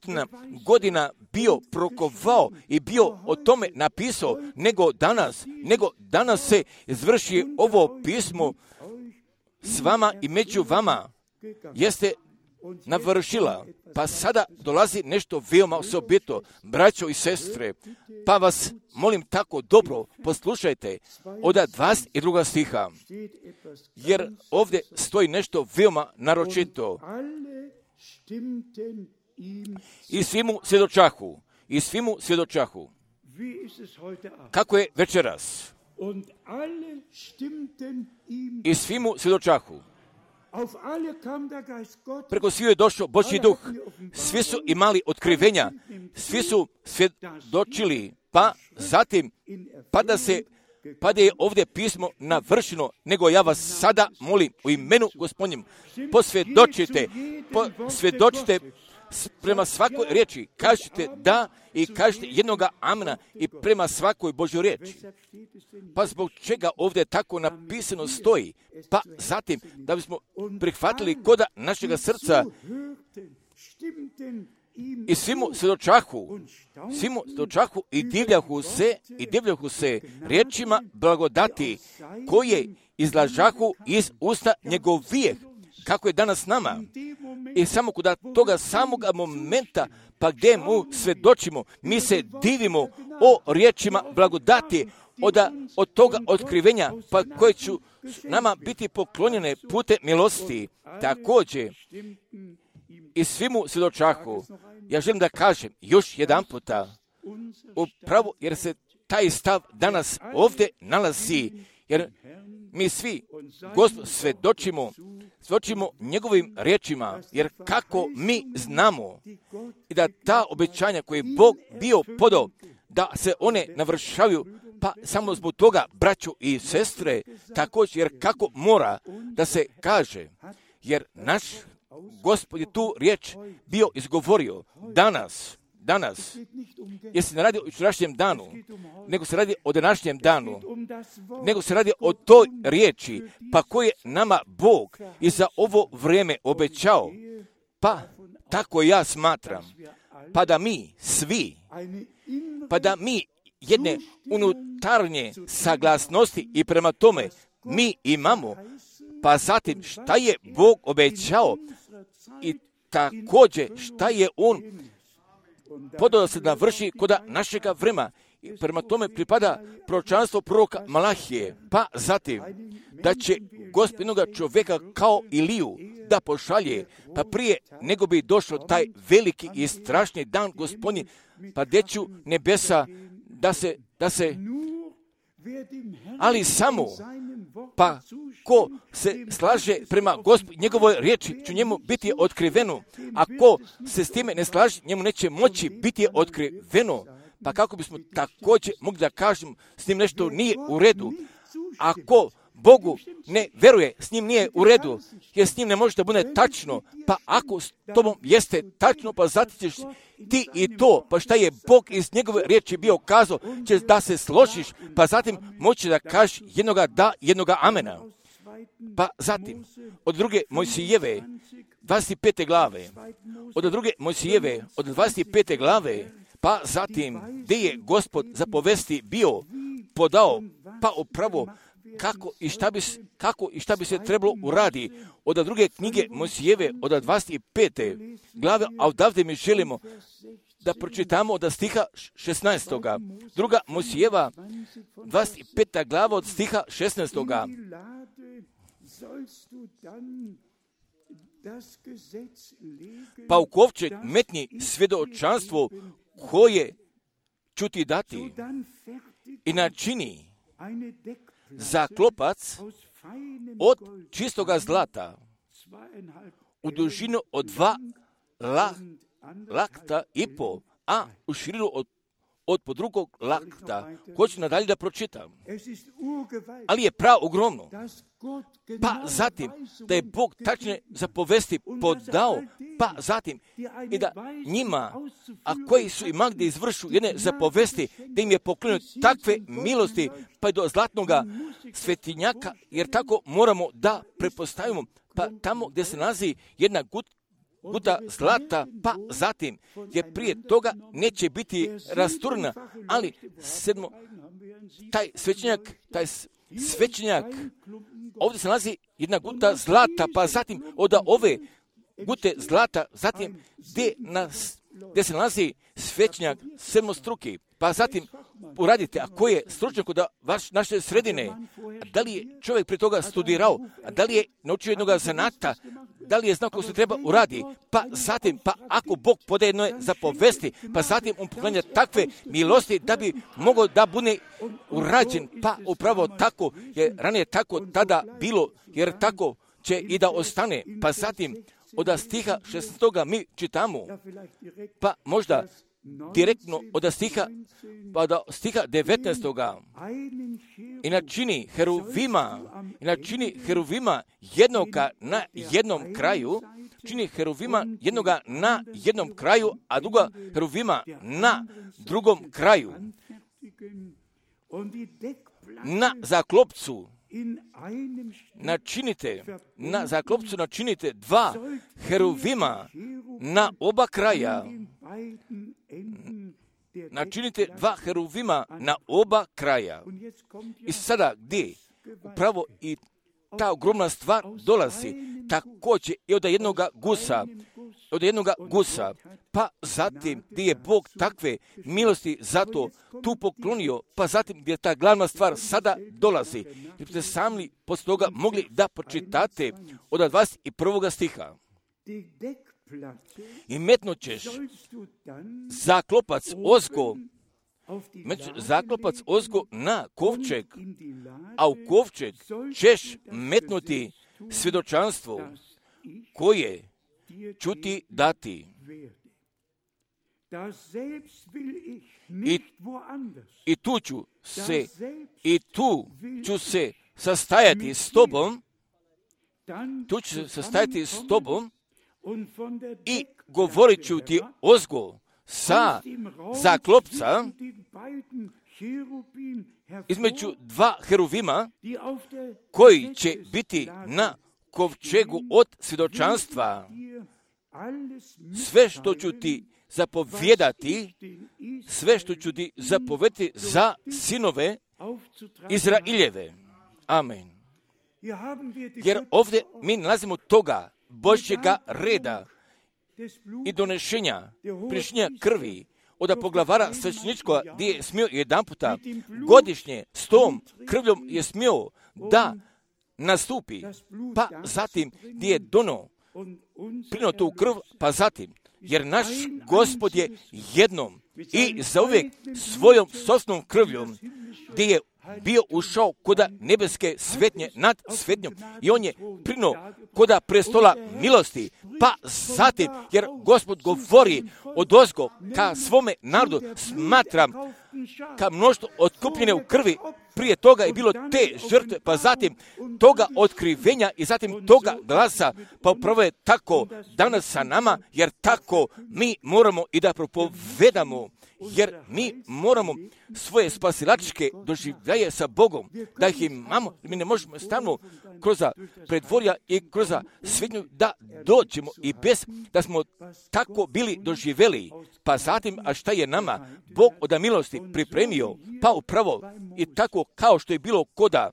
Speaker 1: godina bio prokovao i bio o tome napisao, nego danas, nego danas se izvrši ovo pismo s vama i među vama jeste navršila. Pa sada dolazi nešto veoma osobito, braćo i sestre, pa vas molim tako dobro poslušajte od dvadeset drugog stiha, jer ovdje stoji nešto veoma naročito. I svi mu svjedočahu, i svi mu svjedočahu. Kako je večeras? I svi mu svjedočahu. Preko svi je došao Božji duh, svi su imali otkrivenja, svi su svjedočili, pa zatim, pa da se, pa da je ovdje pismo navršeno, nego ja vas sada molim u imenu Gospodnjem, posvjedočite, posvjedočite prema svakoj riječi, kažete da i kažete jednoga amena i prema svakoj Božjoj riječi. Pa zbog čega ovdje tako napisano stoji? Pa zatim, da bismo prihvatili koda našega srca i svi mu svjedočahu, svi mu svjedočahu i divljahu se, i divljahu se riječima blagodati koje izlažahu iz usta njegovijeh, kako je danas nama. I samo kod toga samoga momenta, pa gdje mu svjedočimo, mi se divimo o riječima blagodati, od, od toga otkrivenja, pa koje će nama biti poklonjene putem milosti. Također, i svi mu svjedočahu. Ja želim da kažem još jedan puta, upravo jer se taj stav danas ovdje nalazi, jer mi svi, Gospod, svjedočimo, svjedočimo njegovim riječima, jer kako mi znamo i da ta obećanja koje je Bog bio podao, da se one navršavaju, pa samo zbog toga, braćo i sestre, također, jer kako mora da se kaže, jer naš Gospod je tu riječ bio izgovorio danas, danas, jer se ne radi o jučerašnjem danu, nego se radi o današnjem danu, nego se radi o toj riječi, pa koje nama Bog i za ovo vrijeme obećao, pa tako ja smatram, pa da mi svi, pa da mi jedne unutarnje saglasnosti i prema tome mi imamo, pa zatim šta je Bog obećao i također šta je On podao da se navrši kod našega vremena. I prema tome pripada proročanstvo proroka Malahije, pa zatim da će Gospod jednoga čovjeka kao Iliju da pošalje, pa prije nego bi došao taj veliki i strašni dan Gospodnji, pa deću nebesa da se, da se, ali samo, pa ko se slaže prema Gospod, njegovoj riječi će njemu biti otkriveno, a ko se s time ne slaže, njemu neće moći biti otkriveno. Pa kako bismo također mogli da kažemo s njim nešto nije u redu, ako Bogu ne veruje, s njim nije u redu, jer s njim ne može da bude tačno, pa ako s tobom jeste tačno, pa zatim ćeš ti i to, pa šta je Bog iz njegove riječi bio kazao, ćeš da se složiš, pa zatim moći da kažeš jednoga da, jednoga amena. Pa zatim, od druge Mojsijeve, dvadeset pete glave, od druge Mojsijeve, od dvadeset pete glave, pa zatim gdje je Gospod zapovesti bio podao, pa upravo kako i šta bi, kako i šta bi se trebalo uradi. Od druge knjige Mojsijeve, od dvadeset pete glave, a odavde mi želimo da pročitamo od stiha šesnaestoga. Druga Mojsijeva, dvadeset peta glava od stiha šesnaestoga. Pa u kovčeg metni svjedočanstvo koje ću ti dati i načini za klopac od čistoga zlata u dužinu od dva la, lakta i po, a u širinu od, od po drugog lakta. Hoću nadalje da pročitam. Ali je prav ogromno. Pa zatim da je Bog tačne zapovesti podao, pa zatim i da njima, a koji su ima gdje izvršu jedne zapovesti, da im je pokrenuo takve milosti, pa i do zlatnoga svetinjaka, jer tako moramo da prepostavimo, pa tamo gdje se nalazi jedna gut, guta zlata, pa zatim, jer prije toga neće biti rasturna, ali sedmo, taj svećenjak, taj svećenjak, ovdje se nalazi jedna guta zlata, pa zatim od ove gute zlata, zatim gdje, nas, gdje se nalazi svećenjak sedmostruki, pa zatim uradite, a ko je stručnjak od vaš, naše sredine, a da li je čovjek prije toga studirao, a da li je naučio jednog zanata, da li je znao kako se treba uradi, pa zatim, pa ako Bog podaje jedno zapovesti, pa zatim on poklanja takve milosti da bi mogao da bude urađen, pa upravo tako, jer ranije tako tada bilo, jer tako će i da ostane, pa zatim od stiha šesnaestoga mi čitamo, pa možda direktno od stiha, pa do stiha devetnaestoga i načini heruvima, i načini heruvima jednoga na jednom kraju, čini heruvima jednoga na jednom kraju, a druga heruvima na drugom kraju. Na zaklopcu načinite, na zaklopcu načinite dva heruvima na oba kraja. Načinite dva heruvima na oba kraja. I sada gdje upravo i ta ogromna stvar dolazi, također i od jednoga gusa, od jednoga gusa, pa zatim gdje je Bog takve milosti zato tu poklonio, pa zatim gdje ta glavna stvar sada dolazi. Jer ste sami poslije toga mogli da pročitate od dvadeset prvoga stiha. I metnut ćeš zaklopac ozgo, zaklopac ozgo na kovčeg, a u kovčeg ćeš metnuti svjedočanstvo koje ću ti dati. I, i tu ću se, i tu ću se sastajati s tobom, tu ću se sastajati s tobom, i govorit ću ti ozgo sa zaklopca između dva heruvima koji će biti na kovčegu od svjedočanstva. Sve što ću ti zapovjedati, sve što ću ti zapovjedati za sinove Izraeljeve. Amen. Jer ovdje mi nalazimo toga Božjega reda i donešenja, prišnjenja krvi od poglavara svećeničkoga gdje je smio jedan puta godišnje s tom krvljom je smio da nastupi, pa zatim gdje je dono prino tu krv, pa zatim, jer naš Gospod je jednom i zauvijek svojom sosnom krvljom gdje je bio ušao koda nebeske svetnje nad svetnjom i on je prino koda prestola milosti, pa zatim, jer Gospod govori odozgo ka svome narodu, smatram ka mnoštvo otkupljene u krvi, prije toga je bilo te žrtve, pa zatim toga otkrivenja i zatim toga glasa, pa upravo je tako danas sa nama, jer tako mi moramo i da propovedamo jer mi moramo svoje spasilačke doživljaje sa Bogom, da ih imamo, mi ne možemo stalno kroz predvorja i kroz svetnju da dođemo i bez da smo tako bili doživjeli. Pa zatim, a šta je nama Bog od milosti pripremio, pa upravo i tako kao što je bilo koda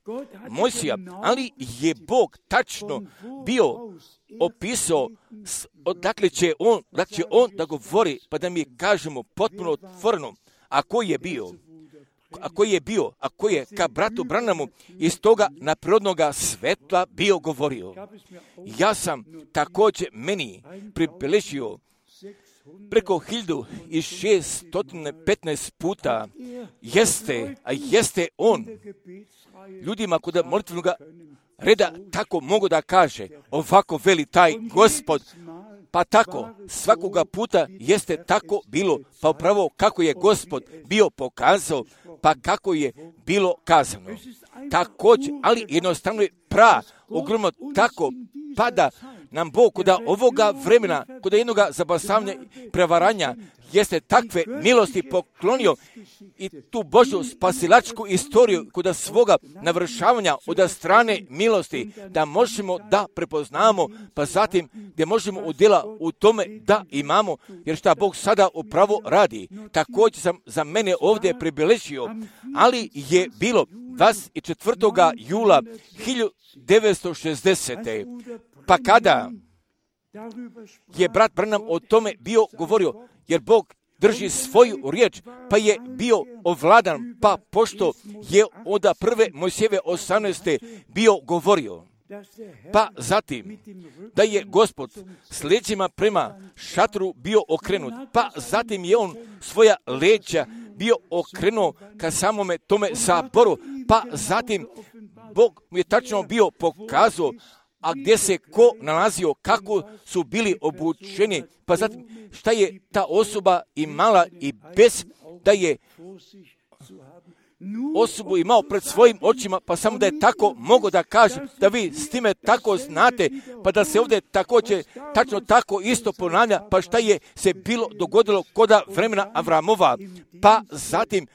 Speaker 1: Mojsija, ali je Bog tačno bio opisao odakle će on, da će on da govori, pa da mi kažemo potpuno otvoreno, a koji je bio, a koji je bio, a koji je ka bratu Branamu iz toga naprirodnoga svetla bio govorio. Ja sam također meni pribeležio preko hiljadu šeststo petnaest puta jeste, a jeste on ljudima kod molitvenoga reda tako mogu da kaže, ovako veli taj Gospod, pa tako svakoga puta jeste tako bilo, pa upravo kako je Gospod bio pokazao, pa kako je bilo kazano. Također, ali jednostavno je pra, ogromno tako pada nam Bog kod ovoga vremena, kod jednoga zabasavanja prevaranja, jeste takve milosti poklonio i tu Božju spasilačku istoriju kod svoga navršavanja od strane milosti, da možemo da prepoznamo, pa zatim gdje možemo udjela u tome da imamo, jer šta Bog sada upravo radi. Također sam za mene ovdje pribeležio, ali je bilo dvadeset četvrtog jula hiljadu devetsto šezdesete. Pa kada je brat Branham o tome bio govorio, jer Bog drži svoju riječ, pa je bio ovladan, pa pošto je od prve Mojsijeve osamnaeste bio govorio. Pa zatim, da je Gospod s leđima prema šatru bio okrenut, pa zatim je on svoja leđa bio okrenuo ka samome tome saboru, pa zatim Bog mu je tačno bio pokazao, a gdje se ko nalazio, kako su bili obučeni, pa zatim šta je ta osoba imala i bez da je osobu imao pred svojim očima, pa samo da je tako mogo da kaže, da vi s time tako znate, pa da se ovdje također tačno tako isto ponavlja, pa šta je se bilo dogodilo koda vremena Avramova, pa zatim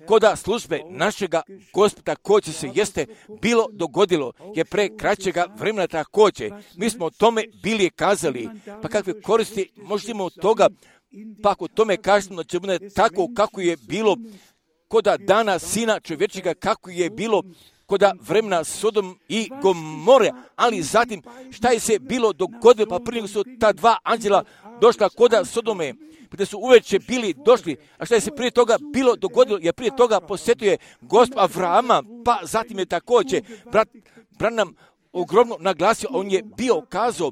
Speaker 1: koda službe našega Gospoda također se jeste bilo dogodilo, je pre kraćega vremena također. Mi smo o tome bili kazali, pa kakve koristi možemo od toga, pa ako tome kažemo da će bude tako kako je bilo koda dana Sina čovječega, kako je bilo koda vremena Sodom i Gomore, ali zatim šta je se bilo dogodilo, pa prije su ta dva anđela došla koda Sodome, gdje su uveče bili došli, a šta je se prije toga bilo dogodilo, jer prije toga posjetio je Gospod Avrama, pa zatim je također brat Branham ogromno naglasio, on je bio kazao,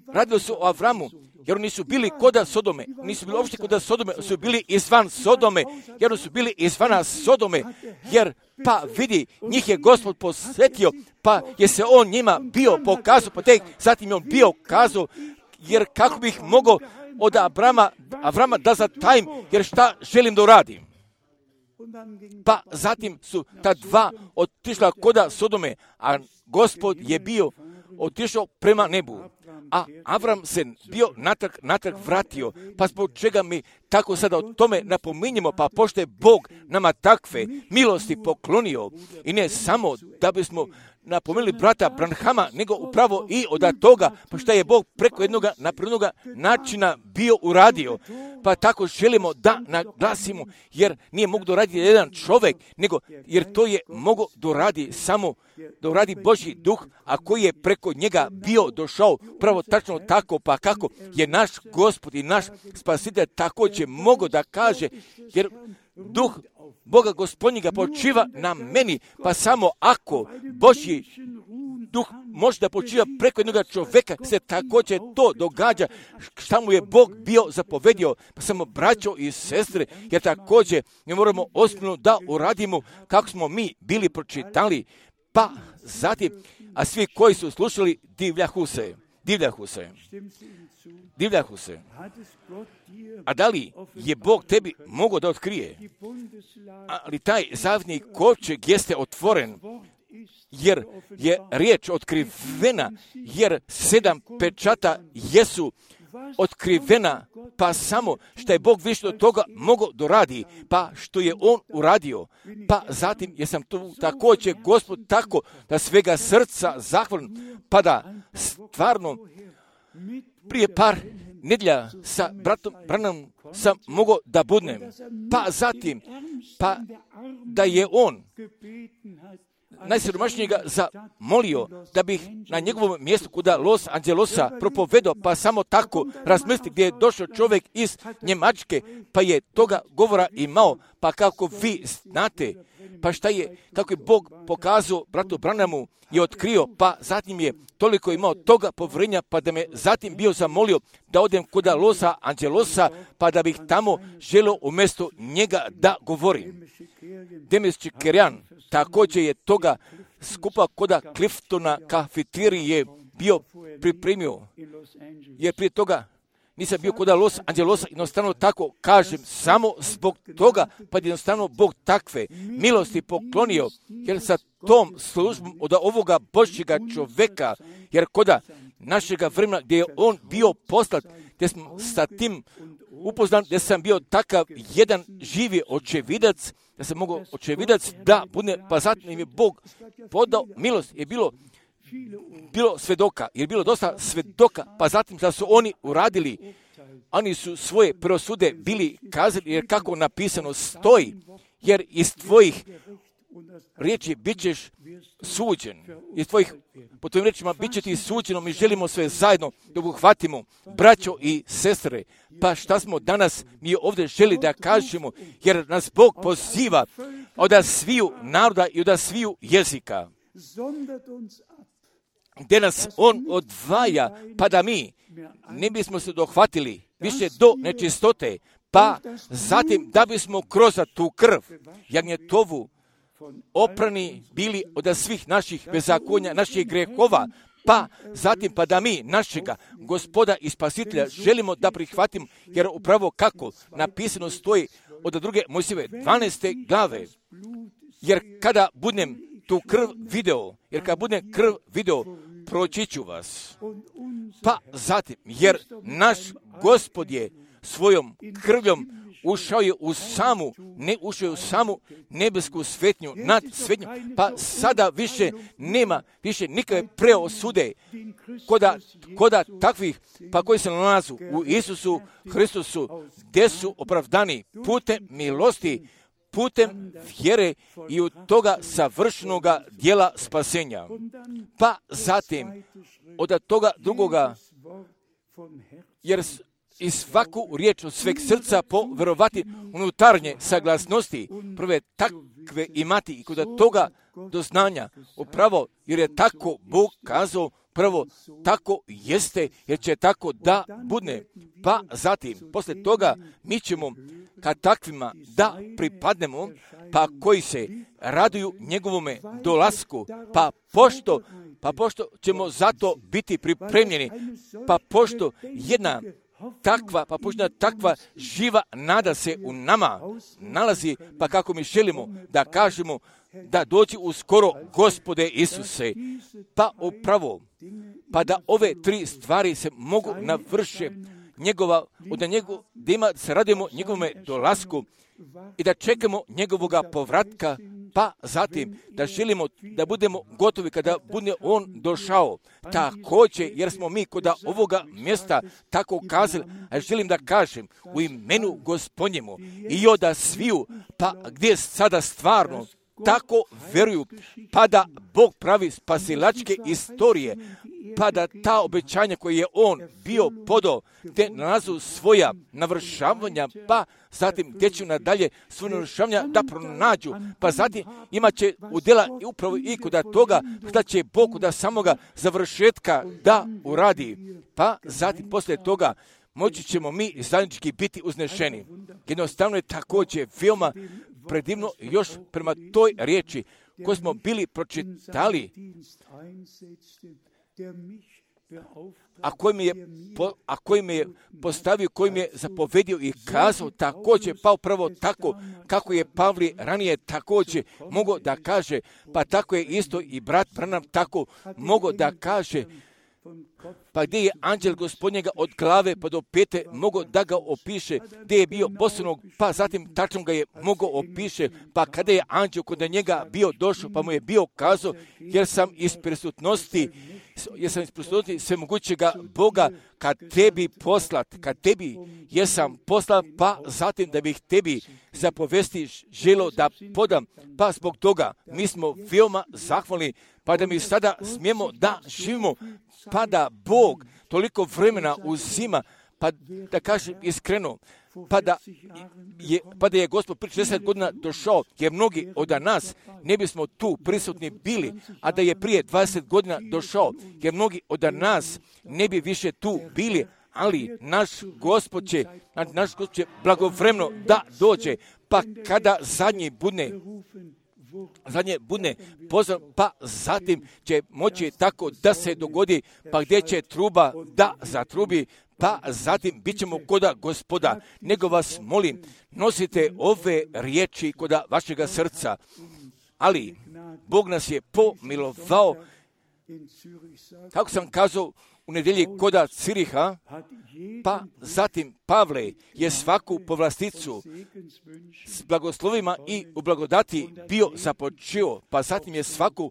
Speaker 1: radilo se o Avramu, jer oni su bili koda Sodome, nisu bili uopšte koda Sodome, su bili izvan Sodome, jer oni su bili izvana Sodome, jer pa vidi, njih je Gospod posvetio, pa je se on njima bio pokazao, pa tek zatim je on bio kazao, jer kako bih mogao od Avrama, Avrama da zatajim, jer šta želim da uradim. Pa zatim su ta dva otišla koda Sodome, a Gospod je bio otišao prema nebu. A Avram se bio natrag, natrag vratio, pa zbog čega mi tako sada o tome napominjemo, pa pošto je Bog nama takve milosti poklonio, i ne samo da bismo napomenuli brata Branhama, nego upravo i od toga, pa šta je Bog preko jednog napravnog načina bio uradio. Pa tako želimo da naglasimo, jer nije mogu doraditi jedan čovjek, nego jer to je mogo doradi samo doradi Božji duh, a koji je preko njega bio došao, pravo tačno tako, pa kako je naš Gospod i naš Spasitelj također mogo da kaže, jer duh Boga Gospodnjega počiva na meni, pa samo ako Božji duh može da počiva preko jednog čovjeka, se također to događa šta mu je Bog bio zapovedio, pa samo braćo i sestre, jer također mi moramo ozbiljno da uradimo kako smo mi bili pročitali, pa zatim, a svi koji su slušali divljahu se, divljahu se, divljahu se. A da li je Bog tebi mogao da otkrije? Ali taj zavni kovčeg jeste otvoren, jer je riječ otkrivena, jer sedam pečata jesu otkrivena, pa samo što je Bog više od toga mogao doradi, pa što je On uradio, pa zatim jesam tu također Gospod tako da svega srca zahvalim, pa da stvarno prije par nedjelja sa bratom Branhamom sam mogao da budnem, pa zatim, pa da je on najsiromašnijega zamolio da bih na njegovom mjestu kuda Los Angelosa propovedao, pa samo tako razmisli gdje je došao čovjek iz Njemačke, pa je toga govora imao, pa kako vi znate, pa šta je, kako je Bog pokazao bratu Branhamu i otkrio, pa zatim je toliko imao toga povjerenja, pa da me zatim bio zamolio da odem kuda Losa Angelosa, pa da bih tamo želio umjesto njega da govorim. Demis Čikerijan također je toga skupa koda Cliftona kafeterije bio pripremio, jer prije toga nisam bio kod Los Angelosa, jednostavno tako kažem, samo zbog toga, pa jednostavno Bog takve milosti poklonio, jer sa tom službom od ovoga Božjega čovjeka, jer koda našega vremena gdje je on bio poslat, gdje smo sa tim upoznan, gdje sam bio takav jedan živi očevidac, da sam mogao očevidac da bude, pa zatim im je Bog podao milost, je bilo bilo svedoka, jer je bilo dosta svedoka, pa zatim da su oni uradili, oni su svoje prosude bili kazali, jer kako napisano stoji, jer iz tvojih riječi bit ćeš suđen, iz tvojih, po tvojim riječima bit će ti suđeno, mi želimo sve zajedno da uhvatimo, braćo i sestre, pa šta smo danas mi ovdje želi da kažemo, jer nas Bog poziva od sviju naroda i od sviju jezika, gdje nas On odvaja, pa da mi ne bismo se dohvatili više do nečistote, pa zatim da bismo kroz tu krv jagnjetovu oprani bili od svih naših bezakonja, naših grehova, pa zatim pa da mi našega Gospoda i Spasitelja želimo da prihvatimo, jer upravo kako napisano stoji od druge Mojsijeve dvanaeste glave, jer kada budem tu krv video, jer kada budem krv video, proći ću vas. Pa zatim, jer naš Gospod je svojom krvljom ušao je u samu, ne ušao je u samu nebesku svetnju, nad svetnju, pa sada više nema, više nikakve preosude koda, koda takvih, pa koji se nalazu u Isusu Hristusu, gdje su opravdani putem milosti, putem vjere i od toga savršenoga dijela spasenja. Pa zatim, od toga drugoga, jer i svaku riječ od sveg srca povjerovati unutarnje saglasnosti, prve takve imati i kod toga doznanja, upravo jer je tako Bog kazao, prvo tako jeste, jer će tako da bude. Pa zatim, poslije toga, mi ćemo kad takvima da pripadnemo, pa koji se raduju njegovome dolasku, pa pošto, pa pošto ćemo zato biti pripremljeni, pa pošto jedna takva, pa pošto takva živa nada se u nama nalazi, pa kako mi želimo da kažemo da dođi uskoro Gospode Isuse, pa upravo, pa da ove tri stvari se mogu navrše njegova, od njegov, da ima, se radimo njegovome dolasku i da čekamo njegovoga povratka, pa zatim da želimo da budemo gotovi kada bude on došao. Također, jer smo mi kod ovoga mjesta tako kazali, a želim da kažem u imenu Gospodnjemu i oda sviju, pa gdje sada stvarno tako vjeruju, pa da Bog pravi spasilačke istorije, pa da ta obećanja koje je on bio podao, te nalazu svoja navršavanja, pa zatim gdje će nadalje svoje navršavanja da pronađu, pa zatim imat će udjela i upravo i kod toga što će Bog da samoga završetka da uradi, pa zatim poslije toga moći ćemo mi zajednički biti uznešeni. Jednostavno je također veoma predivno još prema toj riječi koju smo bili pročitali, a koji mi je, po, a koji mi je postavio, koji mi je zapovedio i kazao također, pa upravo tako kako je Pavli ranije također mogao da kaže, pa tako je isto i brat Branham tako mogao da kaže pa gdje je anđel gospodnjega od glave pa do pete mogao da ga opiše, gdje je bio bosanog, pa zatim tačno ga je mogao opiše, pa kada je anđel kod njega bio došao, pa mu je bio kazao, jer sam iz prisutnosti, jer sam iz prisutnosti svemogućega Boga kad tebi poslat, kad tebi jesam poslat, pa zatim da bih tebi zapovesti želo da podam, pa zbog toga mi smo veoma zahvalni, pa da mi sada smijemo da živimo, pa da Bog toliko vremena uzima, pa da kažem iskreno, pa da je, pa da je Gospod prije šezdeset godina došao, jer mnogi od nas ne bismo tu prisutni bili, a da je prije dvadeset godina došao, jer mnogi od nas ne bi više tu bili, ali naš Gospod će, naš Gospod će blagovremeno da dođe, pa kada zadnji budne zadnje budne pozor, pa zatim će moći tako da se dogodi, pa gdje će truba da zatrubi, pa zatim bit ćemo koda Gospoda. Nego vas molim, nosite ove riječi koda vašega srca, ali Bog nas je pomilovao, kako sam kazao u nedjelji koda Ciriha, pa zatim Pavle je svaku povlasticu s blagoslovima i u blagodati bio započeo, pa zatim je svaku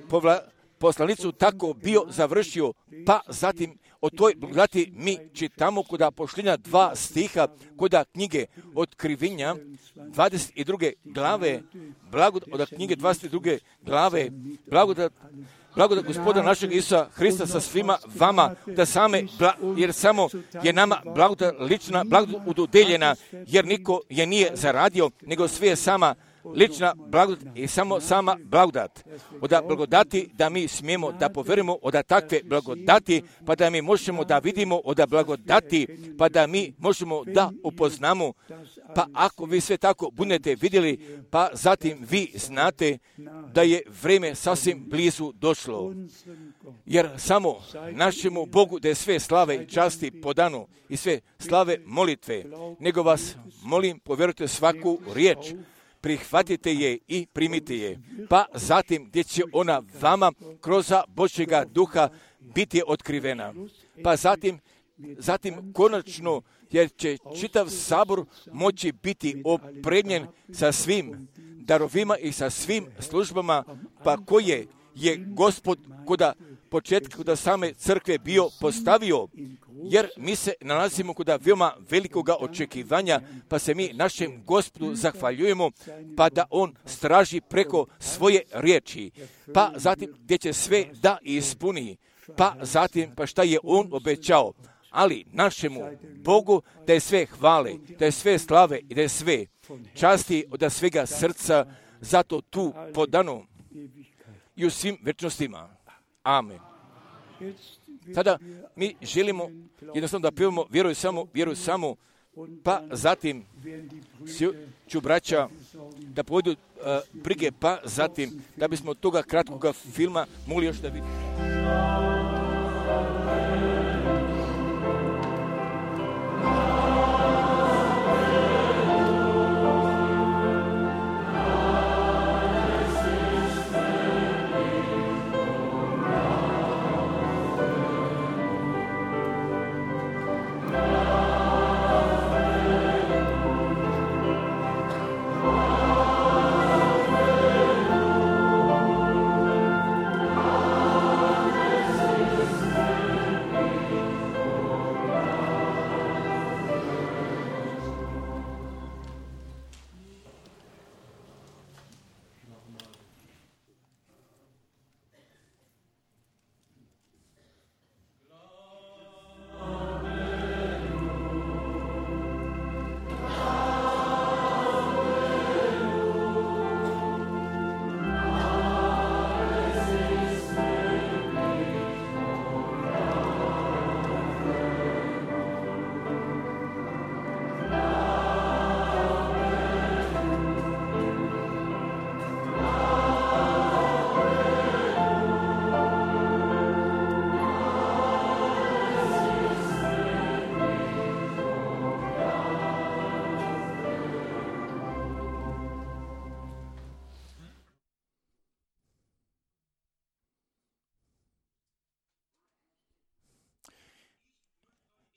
Speaker 1: povla, poslanicu tako bio završio, pa zatim o toj blagodati mi čitamo koda pošljenja dva stiha koda knjige Otkrivenja dvadeset druge glave, blagodat od knjige dvadeset druge glave, blagodat Blagodat Gospoda našeg Isusa Hrista sa svima vama, da same, jer samo je nama blagodat lična, blagodat udodeljena, jer niko je nije zaradio, nego sve je sama lična blagodat i samo sama blagodat. Oda blagodati da mi smijemo da poverimo, oda takve blagodati, pa da mi možemo da vidimo, oda blagodati, pa da mi možemo da upoznamo, pa ako vi sve tako budete vidjeli, pa zatim vi znate da je vrijeme sasvim blizu došlo. Jer samo našemu Bogu da je sve slave i časti po danu i sve slave molitve, nego vas molim, povjerujte svaku riječ, prihvatite je i primite je, pa zatim gdje će ona vama kroz Božjega duha biti otkrivena. Pa zatim, zatim konačno, jer će čitav sabor moći biti opremljen sa svim darovima i sa svim službama, pa koje je Gospod koda početka, koda same crkve bio postavio, jer mi se nalazimo koda veoma velikoga očekivanja, pa se mi našem Gospodu zahvaljujemo, pa da on straži preko svoje riječi, pa zatim gdje će sve da ispuni, pa zatim pa šta je on obećao, ali našemu Bogu da je sve hvale, da je sve slave i da je sve časti od svega srca, zato tu podano i u svim večnostima. Amen. Sada mi želimo jednostavno da pevamo vjeruj samo, vjeruj samo, pa zatim ću braća da povedu uh, brige, pa zatim da bismo od toga kratkoga filma mogli još da vidimo.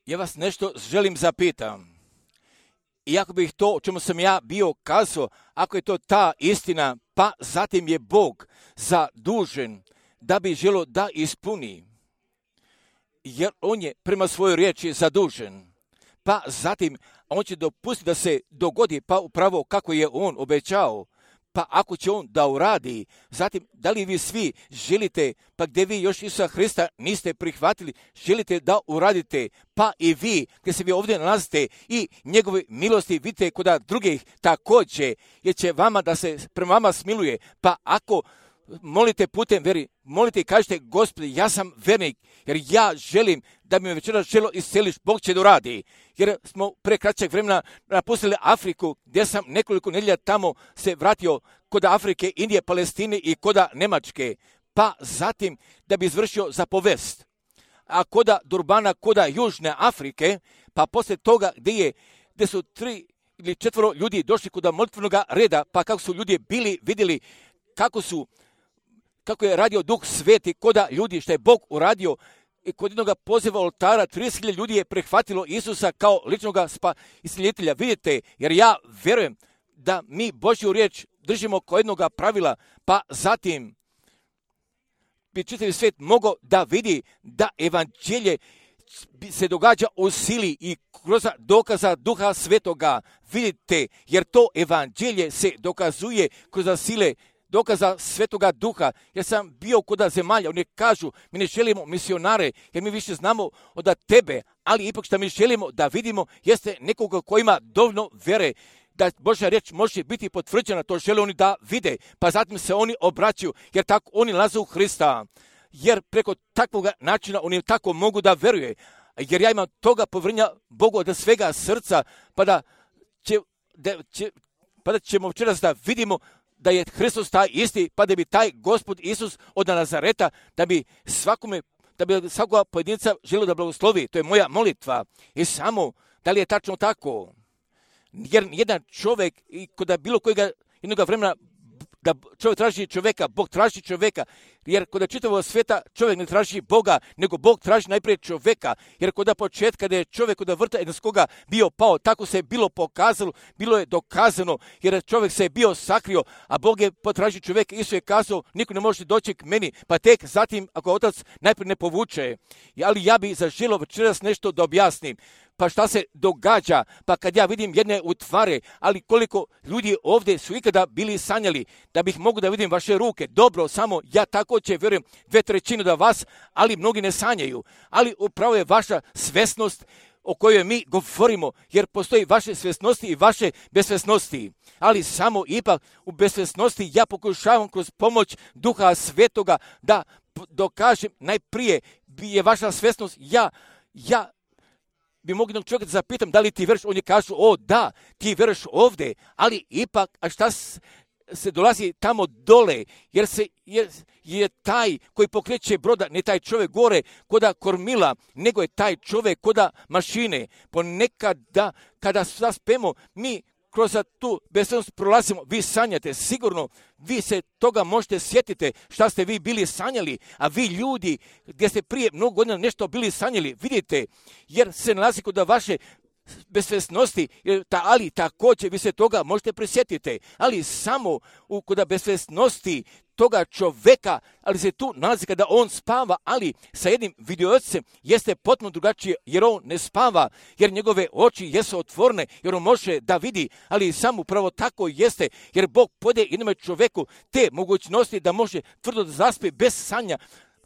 Speaker 1: Ja vas nešto želim zapitam. Iako bih to o čemu sam ja bio kazao, ako je to ta istina, pa zatim je Bog zadužen da bi želio da ispuni. Jer on je prema svojoj riječi zadužen. Pa zatim on će dopustiti da se dogodi pa upravo kako je on obećao. Pa ako će on da uradi, zatim da li vi svi želite, pa gdje vi još Isusa Hrista niste prihvatili, želite da uradite, pa i vi gdje se vi ovdje nalazite i njegove milosti vidite kod drugih također, jer će vama da se prema vama smiluje. Pa ako molite putem veri, molite i kažete, Gospodi, ja sam vernik, jer ja želim da bi me večeras želo isceliš, Bog će da uradi. Jer smo pre kraćeg vremena napustili Afriku, gdje sam nekoliko nedjelja tamo se vratio kod Afrike, Indije, Palestine i kod Nemačke. Pa zatim da bi izvršio zapovest. A kod Durbana, kod Južne Afrike, pa poslije toga gdje, je, gdje su tri ili četvoro ljudi došli kod molitvenog reda, pa kako su ljudi bili, vidjeli kako su kako je radio Duh Sveti koda ljudi, što je Bog uradio, i kod jednog poziva oltara trideset hiljada ljudi je prihvatilo Isusa kao ličnog spa iscijelitelja. Vidite, jer ja vjerujem da mi Božju riječ držimo kao jednog pravila, pa zatim bi čitavi svijet mogao da vidi da evanđelje se događa u sili i kroz dokaza Duha Svetoga. Vidite, jer to evanđelje se dokazuje kroz sile dokaza Svetoga Duha. Ja sam bio kod zemalja, oni kažu, mi ne želimo misionare, jer mi više znamo od tebe, ali ipak što mi želimo da vidimo jeste nekoga koji ima dovoljno vere, da Božja riječ može biti potvrđena, to žele oni da vide, pa zatim se oni obraćaju, jer tako oni laze u Hrista, jer preko takvog načina oni tako mogu da veruje, jer ja imam toga povjerenja Bogu od svega srca, pa da, će, da, će, pa da ćemo večeras da vidimo da je Hristos taj isti, pa da bi taj Gospod Isus od Nazareta, da bi svakome, da bi svakoga pojedinca želio da blagoslovi. To je moja molitva. I samo, da li je tačno tako? Jer jedan čovjek, i kod bilo kojega jednog vremena, da čovjek traži čovjeka, Bog traži čovjeka, jer kod čitavog svijeta čovjek ne traži Boga, nego Bog traži najprije čovjeka, jer kod početka kada je čovjek kod vrta Edenskoga bio pao, tako se je bilo pokazalo, bilo je dokazano, jer čovjek se je bio sakrio, a Bog je potražio čovjeka, Isus je kazao, niko ne može doći k meni, pa tek zatim ako otac najprije ne povuče. Ali ja bi zaželio večeras nešto da objasnim. Pa šta se događa, pa kad ja vidim jedne utvare, ali koliko ljudi ovdje su ikada bili sanjali, da bih mogu da vidim vaše ruke, dobro, samo ja također vjerujem dve trećine da vas, ali mnogi ne sanjaju, ali upravo je vaša svesnost o kojoj mi govorimo, jer postoji vaše svesnosti i vaše besvesnosti, ali samo ipak u besvesnosti ja pokušavam kroz pomoć Duha Svetoga da dokažem najprije je vaša svesnost, ja, ja, bi mogli jednog čovjeka da zapitam da li ti vjeruješ, on je kažu, o da, ti vjeruješ ovdje, ali ipak, a šta se dolazi tamo dole, jer se jer je taj koji pokreće broda, ne taj čovjek gore koda kormila, nego je taj čovjek koda mašine. Ponekada, kada zaspemo, mi kroz tu besvesnost prolazimo, vi sanjate, sigurno vi se toga možete sjetiti šta ste vi bili sanjali, a vi ljudi gdje ste prije mnogo godina nešto bili sanjali, vidite, jer se nalazi kod vaše besvesnosti, ali također vi se toga možete prisjetiti, ali samo u kod besvesnosti toga čovjeka, ali se tu nalazi kada on spava, ali sa jednim vidiocem jeste potpuno drugačije, jer on ne spava, jer njegove oči jesu otvorene, jer on može da vidi, ali samo upravo tako jeste, jer Bog podaje jednom čovjeku te mogućnosti da može tvrdo da zaspe bez sanja,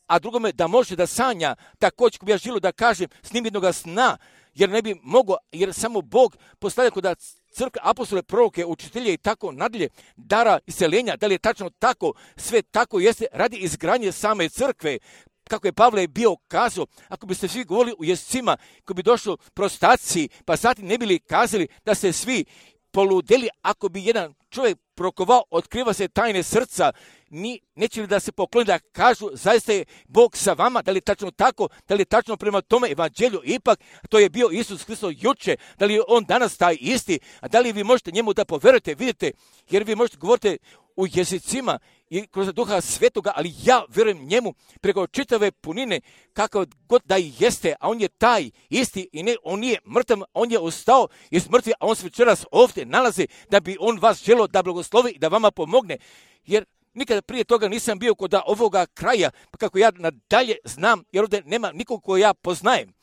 Speaker 1: a drugome da može da sanja, također ko bi ja želio da kažem s njim jednoga sna, jer ne bi mogao, jer samo Bog postavlja kod crkve, apostole, proroke, učitelje i tako nadalje, dara iseljenja, da li je tačno tako, sve tako jeste radi izgradnje same crkve, kako je Pavle bio kazao, ako biste svi govorili u jezicima, ako bi došlo prostaciji, pa zatim ne bili kazali da se svi poludeli, ako bi jedan čovjek prokovao, otkriva se tajne srca, ni, neće li da se pokloni da kažu, zaista je Bog sa vama, da li je tačno tako, da li je tačno prema tome evanđelju, ipak to je bio Isus Hristos juče, da li je on danas taj isti, a da li vi možete njemu da poverujete, vidite, jer vi možete govoriti u jezicima i kroz duha svetoga, ali ja vjerujem njemu preko čitave punine, kakav god da i jeste, a on je taj isti i ne, on nije mrtav, on je ostao iz mrtvi, a on se večeras ovdje nalazi da bi on vas želio da blagoslovi i da vama pomogne. Jer nikada prije toga nisam bio kod ovoga kraja, pa kako ja nadalje znam, jer ovdje nema nikog ko ja poznajem.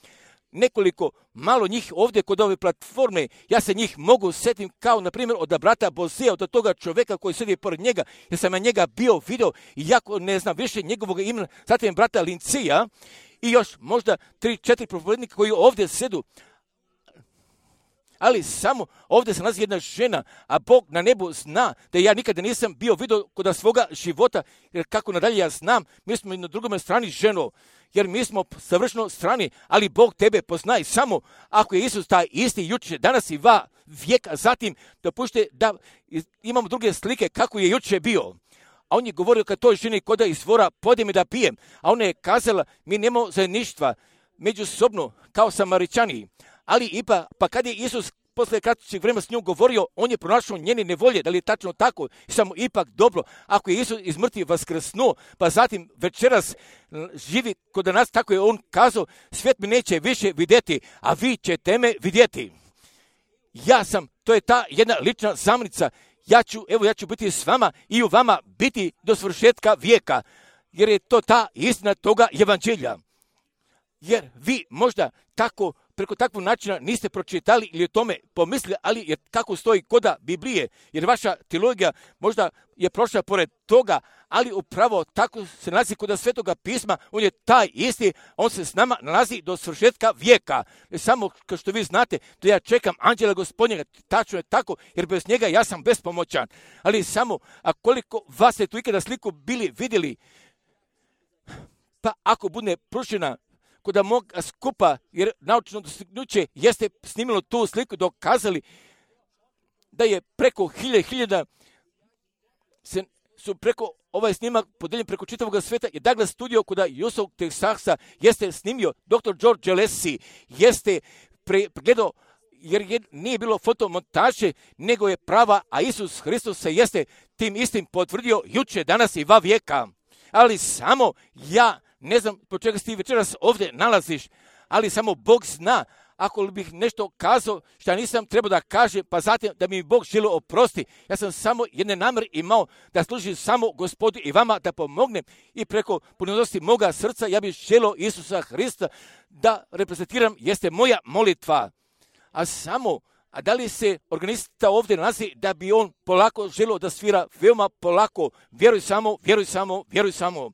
Speaker 1: Nekoliko malo njih ovdje kod ove platforme, ja se njih mogu setim kao, na primjer, od brata Bozija, od toga čovjeka koji sjedi pored njega, jer sam na njega bio video i jako ne znam više njegovog imena, zatim brata Lincija i još možda tri, četiri propovednika koji ovdje sedu. Ali samo ovdje se nalazi jedna žena, a Bog na nebu zna da ja nikada nisam bio vidio kod svoga života, jer kako nadalje ja znam, mi smo na drugome strani ženo, jer mi smo savršeno strani, ali Bog tebe poznaje samo ako je Isus taj isti jučer, danas i va vijeka, zatim dopušte da imamo druge slike kako je jučer bio. A on je govorio kad toj ženi koda izvora, podi mi da pijem, a ona je kazala, mi nemamo zajedništva međusobno kao Samaričani. Ali ipak, pa kad je Isus posle kraćeg vremena s njom govorio, on je pronašao njene nevolje, da li je tačno tako, samo ipak dobro, ako je Isus iz mrtvih vaskrsnuo, pa zatim večeras živi kod nas, tako je on kazao, svijet mi neće više vidjeti, a vi ćete me vidjeti. Ja sam, to je ta jedna lična zamnica, ja ću, evo ja ću biti s vama i u vama biti do svršetka vijeka, jer je to ta istina toga evanđelja. Jer vi možda tako, preko takvog načina niste pročitali ili o tome pomislili, ali jer kako stoji koda Biblije, jer vaša teologija možda je prošla pored toga, ali upravo tako se nalazi koda Svetoga pisma, on je taj isti, on se s nama nalazi do svršetka vijeka. Samo kao što vi znate, da ja čekam anđela Gospodnjega, tačno je tako, jer bez njega ja sam bespomoćan. Ali samo, a koliko vas ste tu ikada sliku bili vidjeli, pa ako bude pružena kod mog skupa, jer naučno dostignuće jeste snimilo tu sliku, dokazali da je preko hilje hiljada se, su preko ovaj snimak podeljen preko čitavog sveta, je Douglas studio kod Houston, Texasa, jeste snimio doktor George Alessi, jeste pregledao, jer je, nije bilo fotomontaže, nego je prava, a Isus Hristos se jeste tim istim potvrdio juče, danas i va vijeka. Ali samo ja ne znam po čega si ti večeras ovdje nalaziš, ali samo Bog zna. Ako bih nešto kazao što nisam trebao da kažem, pa zatim da mi Bog želio oprosti, ja sam samo jedne namjere imao da služim samo Gospodu i vama da pomognem i preko punonosti moga srca ja bih želio Isusa Hrista da reprezentiram, jeste moja molitva. A samo, a da li se organista ovdje nalazi da bi on polako želio da svira veoma polako, vjeruj samo, vjeruj samo, vjeruj samo.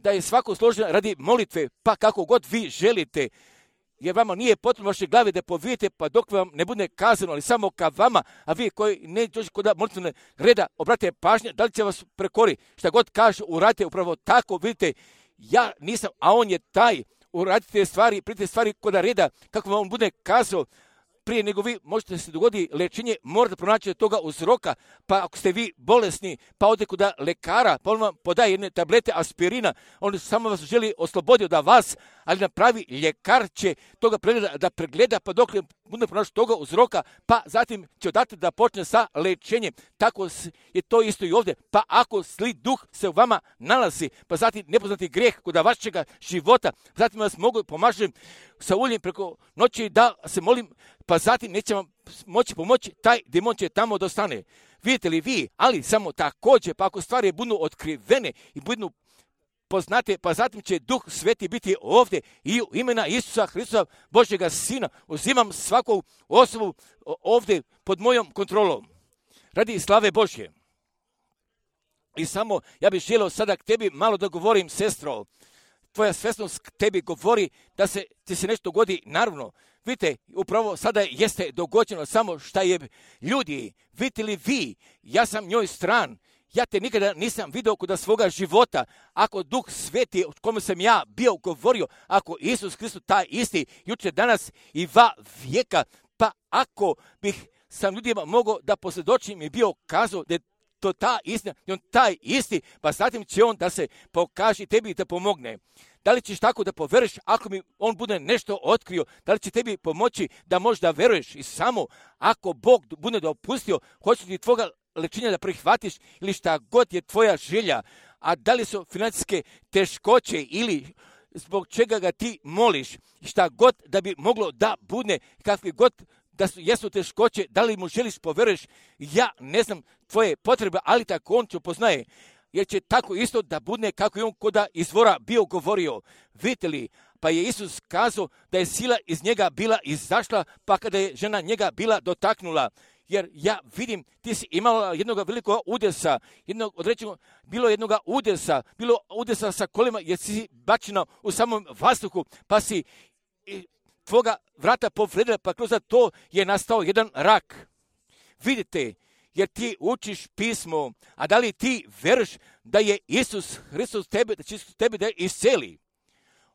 Speaker 1: Da je svako složen radi molitve, pa kako god vi želite, jer vama nije potrebno vaše glave da povijete, pa dok vam ne bude kazano, ali samo ka vama, a vi koji ne dođe kod molitvene reda, obratite pažnje, da li će vas prekori, šta god kaže, uradite upravo tako, vidite, ja nisam, a on je taj, uradite stvari, prijete stvari kod reda, kako vam on bude kazao, prije nego vi možete se dogodi lečenje, morate pronaći toga uzroka, pa ako ste vi bolesni, pa ode kod lekara, pa on vam podaje jedne tablete aspirina, on samo vas želi osloboditi od vas, ali napravi ljekar će toga pregleda, da pregleda, pa dok bude pronaći toga uzroka, pa zatim će odati da počne sa lečenjem. Tako je to isto i ovdje. Pa ako zli duh se u vama nalazi, pa zatim nepoznati grijeh kod vašega života, zatim vas mogu pomažem sa uljem preko noći da se molim, pa zatim neće vam moći pomoći, taj demon će tamo dostane. Vidite li vi, ali samo također, pa ako stvari budu otkrivene i budu poznate, pa zatim će Duh Sveti biti ovdje i u imena Isusa Hristusa, Božjega Sina, uzimam svaku osobu ovdje pod mojom kontrolom. Radi slave Božje. I samo, ja bih želio sada k tebi malo da govorim, sestro. Tvoja svjesnost k tebi govori da se ti se nešto dogodi, naravno. Vidite, upravo sada jeste dogođeno samo šta je ljudi. Vidite li vi, ja sam njoj stran. Ja te nikada nisam vidio kod svoga života. Ako Duh Sveti, o kome sam ja bio govorio, ako Isus Hristos taj isti, jučer, danas i va vijeka, pa ako bih sam ljudima mogao da posvjedočim i bio kazao da je to ta istina, on taj isti, pa zatim će on da se pokaže tebi i da pomogne. Da li ćeš tako da poveruješ ako mi on bude nešto otkrio? Da li će tebi pomoći da možda veruješ? I samo ako Bog bude dopustio, hoće ti tvoga lečenja da prihvatiš ili šta god je tvoja želja, a da li su financijske teškoće ili zbog čega ga ti moliš, šta god da bi moglo da bude, kakvi god da su, jesu teškoće, da li mu želiš poveruješ, ja ne znam tvoje potrebe, ali tako on će poznaje, jer će tako isto da bude kako je on koda izvora bio govorio. Vidite li, pa je Isus kazao da je sila iz njega bila izašla, pa kada je žena njega bila dotaknula. Jer ja vidim, ti si imala jednog velikog udesa, jednog određenog, bilo jednog udesa, bilo udesa sa kolima, jer si bačena u samom vazduhu, pa si tvoga vrata povredila, pa kroz to je nastao jedan rak. Vidite, jer ti učiš pismo, a da li ti veruješ da je Isus Hristos tebe, da će Isus tebe da isceli?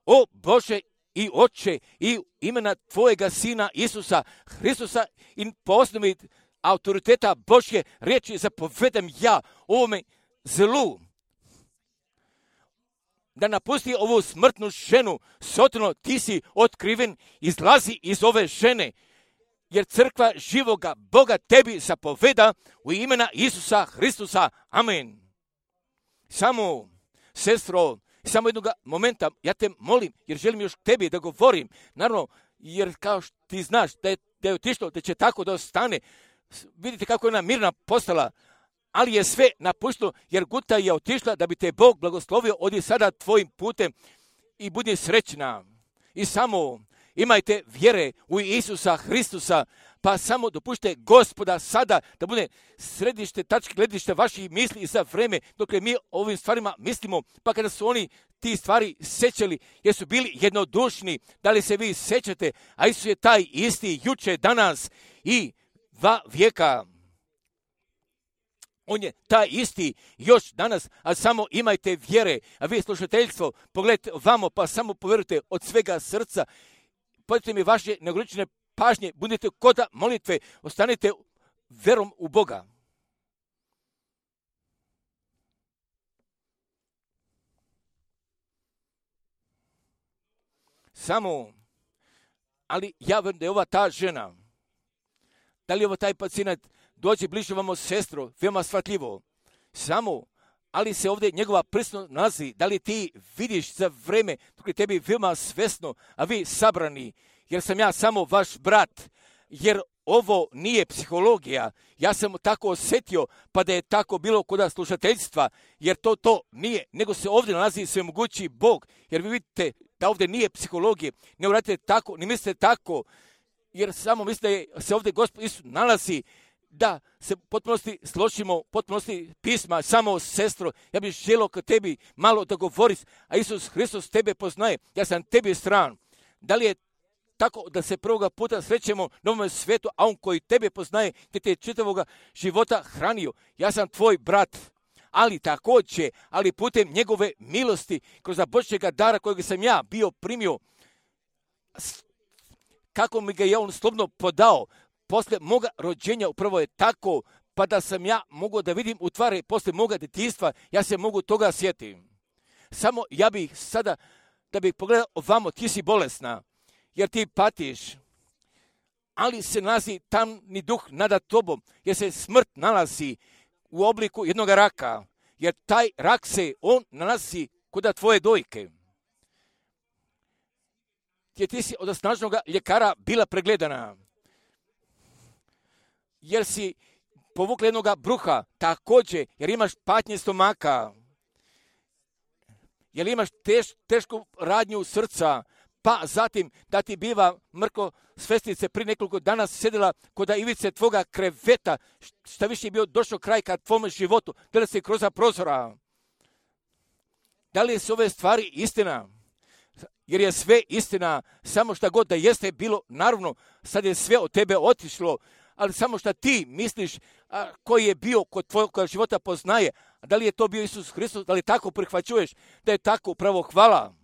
Speaker 1: O Bože i Oče, i imena tvojega Sina Isusa Hristosa i po osnovi autoriteta Božje riječi zapovedam ja ovome zlu da napusti ovu smrtnu ženu. Sotno, ti si otkriven, izlazi iz ove žene, jer crkva živoga Boga tebi zapoveda u imena Isusa Hristosa. Amen. Samo, sestro, samo jednog momenta, ja te molim, jer želim još tebi da govorim. Naravno, jer kao što ti znaš da je, da je otišlo, da će tako da ostane. Vidite kako je ona mirna postala, ali je sve napušteno, jer Guta je otišla da bi te Bog blagoslovio. Odi sada tvojim putem i budi srećna. I samo imajte vjere u Isusa Hristosa, pa samo dopušte Gospoda sada da bude središte, tačke gledište vaših misli i za vreme dok mi ovim stvarima mislimo, pa kada su oni ti stvari sećali, jer su bili jednodušni, da li se vi sećate, a Isus je taj isti juče, danas i dva vijeka. On je taj isti još danas, a samo imajte vjere, a vi slušateljstvo, pogledajte vamo, pa samo povjerujte od svega srca, podite mi vaše neograničene pažnje, budite koda molitve, ostanite verom u Boga. Samo, ali ja verujem da je ova ta žena, da li je ovo taj pacijent, dođe bliže vamo sestro, veoma shvatljivo. Samo, ali se ovdje njegova prisutnost nalazi, da li ti vidiš za vreme dok je tebi veoma svesno, a vi sabrani, jer sam ja samo vaš brat, jer ovo nije psihologija. Ja sam tako osjetio, pa da je tako bilo kod slušateljstva, jer to to nije, nego se ovdje nalazi svemogući Bog, jer vi vidite da ovdje nije psihologije, ne uradite tako, ne mislite tako, jer samo mislite da se ovdje Gospod Isus nalazi, da se potpunosti složimo, potpunosti pisma, samo sestro, ja bih želio kod tebi malo da govoriš, a Isus Hristos tebe poznaje, ja sam tebi stran. Da li je tako da se prvoga puta srećemo na ovom svijetu, a on koji tebe poznaje, gdje te čitavoga života hranio, ja sam tvoj brat, ali također, ali putem njegove milosti, kroz Božjega dara kojeg sam ja bio primio, kako mi ga je on slobodno podao, posle moga rođenja upravo je tako, pa da sam ja mogu da vidim u tvari posle moga djetinjstva, ja se mogu toga sjetiti. Samo ja bih sada, da bih pogledao ovamo, ti si bolesna, jer ti patiš, ali se nalazi tamni duh nada tobom, jer se smrt nalazi u obliku jednog raka, jer taj rak se, on nalazi kod tvoje dojke. Jer ti si od snažnog ljekara bila pregledana, jer si povukla jednog bruha, također, jer imaš patnje stomaka, jer imaš teš, tešku radnju srca, pa zatim da ti biva mrko svestice pri nekoliko dana sjedila kod ivice tvoga kreveta, šta više je bio došao kraj ka tvome životu, gleda se kroz prozora. Da li su ove stvari istina? Jer je sve istina, samo šta god da jeste bilo, naravno, sad je sve od tebe otišlo, ali samo šta ti misliš a, koji je bio kod tvojeg života poznaje, a da li je to bio Isus Hristos, da li tako prihvaćuješ, da je tako upravo hvala.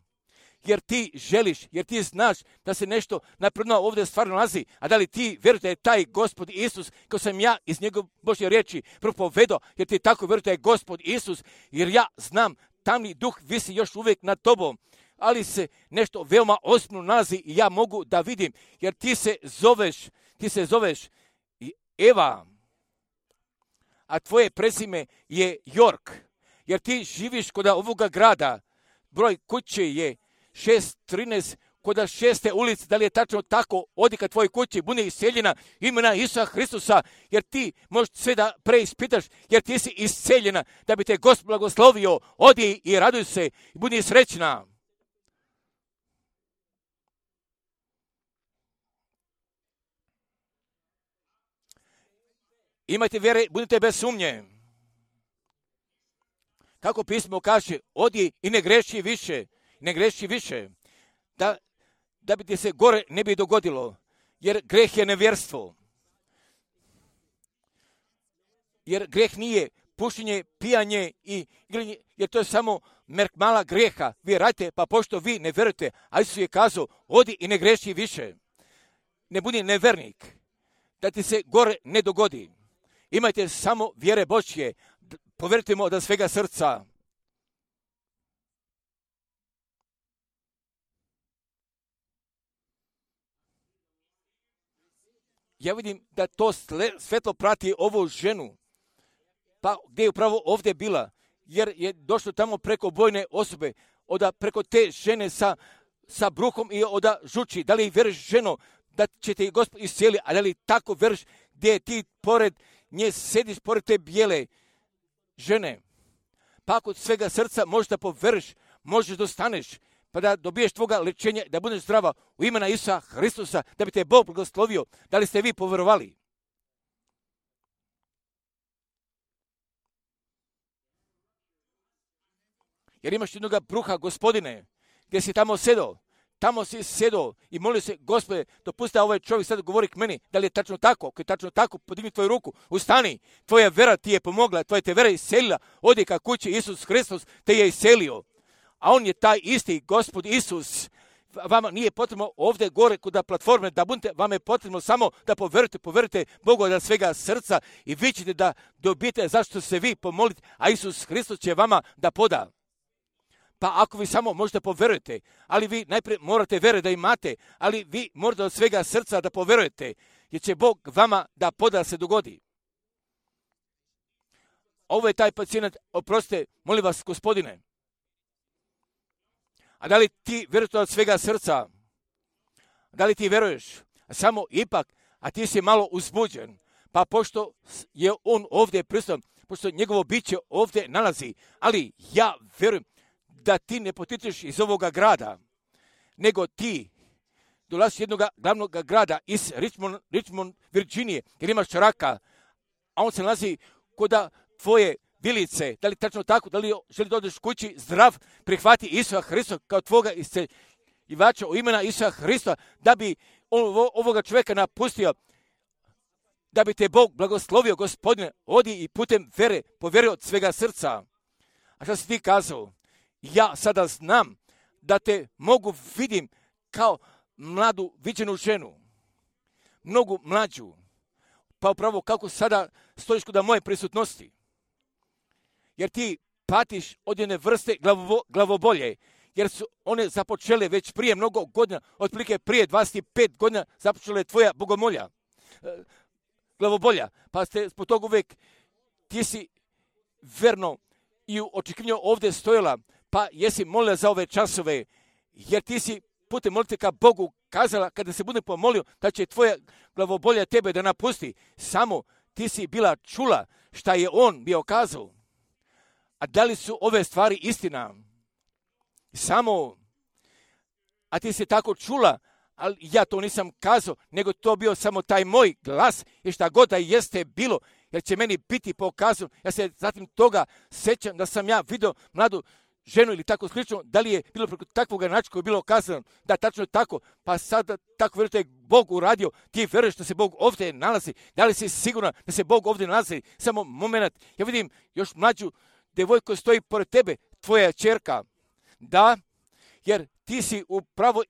Speaker 1: Jer ti želiš, jer ti znaš da se nešto napredno ovdje stvarno nalazi, a da li ti vjerujete da je taj Gospod Isus, kao sam ja iz njegove Božje riječi propovedao, jer ti tako vjerujete da je Gospod Isus, jer ja znam, tamni duh visi još uvijek nad tobom, ali se nešto veoma ozbiljno nalazi i ja mogu da vidim, jer ti se zoveš, ti se zoveš Eva, a tvoje prezime je York, jer ti živiš kod ovoga grada, broj kuće je šest trinaest kod šeste ulice, da li je tačno tako, odi ka tvojoj kući, bude iseljena imena Isusa Hristusa, jer ti možeš sve da preispitaš, jer ti si iseljena, da bi te Gospod blagoslovio, odi i raduj se, i budi srećna. Imajte vjere, budite bez sumnje. Kako pismo kaže, odi i ne greši više, ne greši više, da, da bi ti se gore ne bi dogodilo, jer greh je nevjerstvo. Jer greh nije pušenje, pijanje i igranje, jer to je samo merk mala greha. Vi radite, pa pošto vi ne vjerujete, a Isus je kazao, odi i ne greši više. Ne budi nevernik, da ti se gore ne dogodi. Imajte samo vjere Božje, povjerujte mu od svega srca. Ja vidim da to svetlo prati ovu ženu, pa gdje je upravo ovdje bila, jer je došlo tamo preko bojne osobe, oda preko te žene sa, sa bruhom i oda žuči. Da li vjeriš, ženo, da će te Gospod iscijeli, a da li tako vjeriš gdje ti pored nje sediš, pored te bijele žene? Pa ako od svega srca možeš da poveriš, možeš da ostaneš, pa da dobiješ tvoga lečenja, da budeš zdrava u imena Isusa Hristusa, da bi te Bog blagoslovio. Da li ste vi povjerovali? Jer imaš jednoga bruha, Gospodine, gdje si tamo sedao, tamo si sedao i molio se, Gospode, dopusti da ovaj čovjek sad govori k meni, da li je tačno tako, ako je tačno tako, podigni tvoju ruku, ustani, tvoja vera ti je pomogla, tvoja te vera iselila, odi ka kući, Isus Hristos te je iselio. A on je taj isti Gospod Isus. Vama nije potrebno ovdje gore kod platforme da budete, vama je potrebno samo da poverujete, poverujete Bogu od svega srca i vi ćete da dobijete zašto se vi pomolite, a Isus Hristos će vama da poda. Pa ako vi samo možete poverujete, ali vi najprije morate vere da imate, ali vi morate od svega srca da poverujete, jer će Bog vama da poda se dogodi. Ovo je taj pacijent, oprostite, molim vas, Gospodine. A da li ti vjeruješ od svega srca? Da li ti vjeruješ? A samo ipak, a ti si malo uzbuđen, pa pošto je on ovdje prisutan, pošto njegovo biće ovdje nalazi, ali ja vjerujem da ti ne potičeš iz ovoga grada, nego ti dolaziš jednog glavnog grada iz Richmond, Richmond, Virginije, jer imaš raka, a on se nalazi kod tvoje vilice. Da li tačno tako, da li želi da odeš kući zdrav, prihvati Isusa Hrista kao tvoga isceljivača u imena Isusa Hrista, da bi ovoga čovjeka napustio, da bi te Bog blagoslovio, Gospodine, odi i putem vere, povjerio od svega srca. A što si ti kazao? Ja sada znam da te mogu vidim kao mladu viđenu ženu, mnogu mlađu, pa upravo kako sada stojiš kod moje prisutnosti. Jer ti patiš od jedne vrste glavo, glavobolje, jer su one započele već prije mnogo godina, otprilike prije dvadeset pet godina započele tvoja bogomolja, glavobolja, pa ste zbog toga uvijek, ti si verno i u očekivanju ovdje stojala, pa jesi molila za ove časove, jer ti si putem molite ka Bogu kazala, kada se bude pomolio, da će tvoja glavobolja tebe da napusti. Samo ti si bila čula šta je on bio kazao. A da li su ove stvari istina? Samo, a ti si tako čula, ali ja to nisam kazao, nego to bio samo taj moj glas i šta god da jeste bilo, jer će meni biti pokazano. Ja se zatim toga sećam da sam ja vidio mladu ženu ili tako slično, da li je bilo preko takvog načina koji je bilo kazano, da tačno je tako, pa sada tako vjerujete Bog uradio, ti vjeruješ da se Bog ovdje nalazi, da li si siguran da se Bog ovdje nalazi, samo moment, ja vidim još mlađu devojku stoji pored tebe, tvoja ćerka, da, jer ti si upravo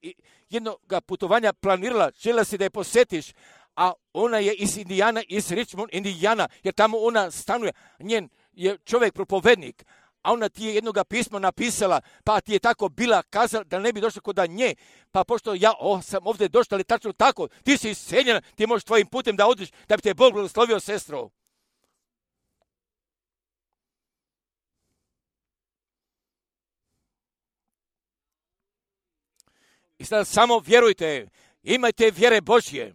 Speaker 1: jednog putovanja planirala, željela si da je posjetiš, a ona je iz Indijana, iz Richmond, Indijana, jer tamo ona stanuje, njen je čovjek propovednik, a ona ti je jednoga pisma napisala, pa ti je tako bila kazala da ne bi došla kod nje, pa pošto ja oh, sam ovdje došla, ali tačno tako, ti si iseljena, ti možeš tvojim putem da odiš, da bi te Bog blagoslovio, sestro. I sada samo vjerujte, imajte vjere Božje.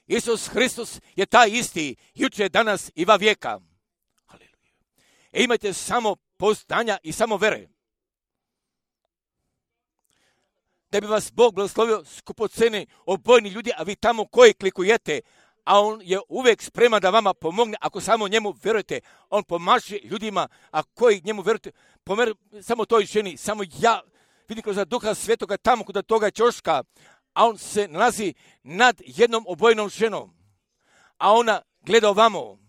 Speaker 1: Isus Hristos je taj isti, jučer, danas i va vijeka. Haleluja. E imajte samo pouzdanja i samo vere. Da bi vas Bog blagoslovio skupoceni obojni ljudi, a vi tamo koji klikujete, a on je uvijek spreman da vama pomogne, ako samo njemu vjerujete. On pomaže ljudima, a koji njemu vjerujete, pomer, samo toj ženi, samo ja vidim kroz Duha Svetoga tamo kod toga ćoška, a on se nalazi nad jednom obojenom ženom, a ona gleda ovamo,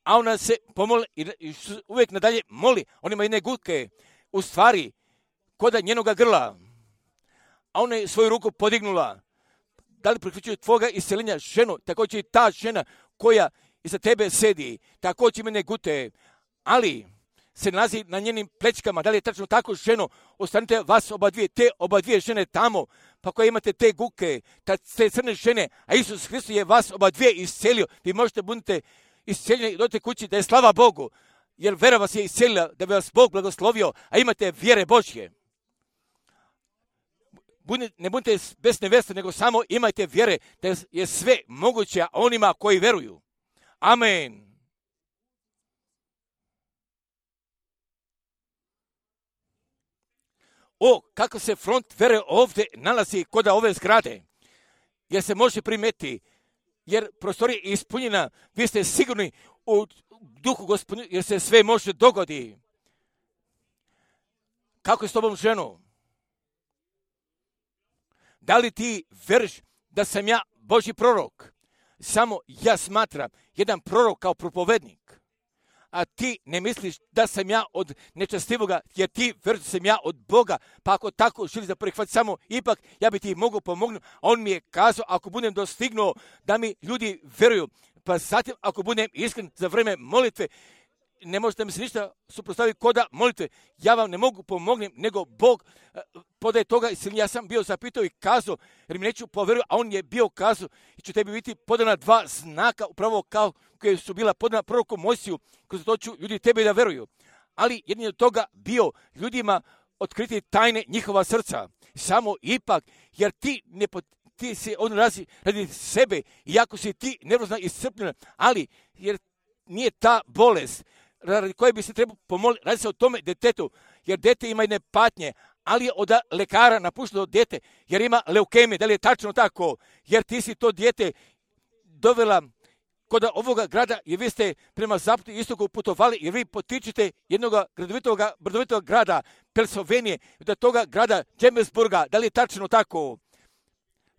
Speaker 1: a ona se pomoli i uvijek nadalje moli. On ima jedne gutke, u stvari, kod njenoga grla, a ona je svoju ruku podignula. Da li priključuje tvoga iseljenja ženu, također i ta žena koja iza tebe sedi, također ima gute, ali se nalazi na njenim plećkama. Da li je tačno tako ženo? Ostanite vas oba dvije, te oba dvije žene tamo, pa koje imate te guke, te crne žene, a Isus Hristos je vas oba dvije iscelio. Vi možete budete isceljeni i dojte kući, da je slava Bogu, jer vera vas je iscelila, da bi vas Bog blagoslovio, a imate vjere Božje. Ne budite bez neveste, nego samo imajte vjere da je sve moguće onima koji veruju. Amen. O, kako se front vere ovdje nalazi kod ove zgrade, jer se može primeti, jer prostorija je ispunjena, vi ste sigurni u duhu Gospodinu, jer se sve može dogodi. Kako je s tobom ženo? Da li ti veriš da sam ja Božji prorok? Samo ja smatram jedan prorok kao propovednik. A ti ne misliš da sam ja od nečestivoga, jer ti veriš da sam ja od Boga. Pa ako tako želiš da prihvati, samo ipak ja bi ti mogao pomognuti. On mi je kazao, ako budem dostignuo da mi ljudi veruju, pa zatim ako budem iskren za vrijeme molitve, ne možete mi se ništa suprotstaviti koda molitve. Ja vam ne mogu pomognem, nego Bog podaje toga. Ja sam bio zapitao i kazao, jer mi neću povjeruju, a on je bio kazao i će tebi biti podana dva znaka, upravo kao koje su bila podana proroku Mojsiju, kroz to ću ljudi tebi da veruju. Ali jedin od toga bio ljudima otkriti tajne njihova srca. Samo ipak, jer ti ne ti se on razi radi sebe, iako si ti nervozna i iscrpljena, ali jer nije ta bolest radi koje bi se trebao pomoliti, radi se o tome detetu, jer dete ima jedne patnje, ali je od lekara napušteno dete, jer ima leukemije. Da li je tačno tako? Jer ti si to dijete dovela kod ovoga grada, jer vi ste prema zapadu i istoku putovali, jer vi potičete jednog gradovitoga, brdovitog grada Pensilvanije, do toga grada Džemesburga. Da li je tačno tako?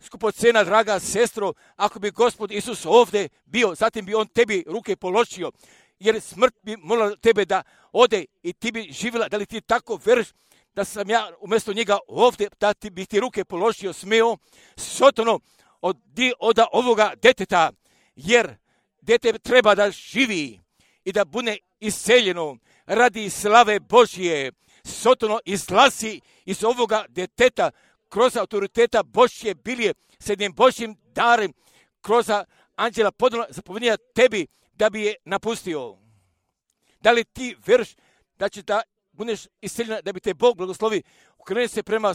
Speaker 1: Skupocena, draga sestro, ako bi Gospod Isus ovdje bio, zatim bi on tebi ruke položio, jer smrt bi morala tebe da ode i ti bi živjela. Da li ti tako veriš da sam ja umjesto njega ovdje, da ti bi ti ruke položio, smeo, sotono od, od ovoga deteta, jer dete treba da živi i da bude iseljeno radi slave Božje. Sotono izlazi iz ovoga deteta kroz autoriteta Božje bilje s jednim Božjim darem, kroz anđela podala zapovjednja tebi da bi je napustio. Da li ti veriš da će da budeš iseljena, da bi te Bog blagoslovi? Okreni se prema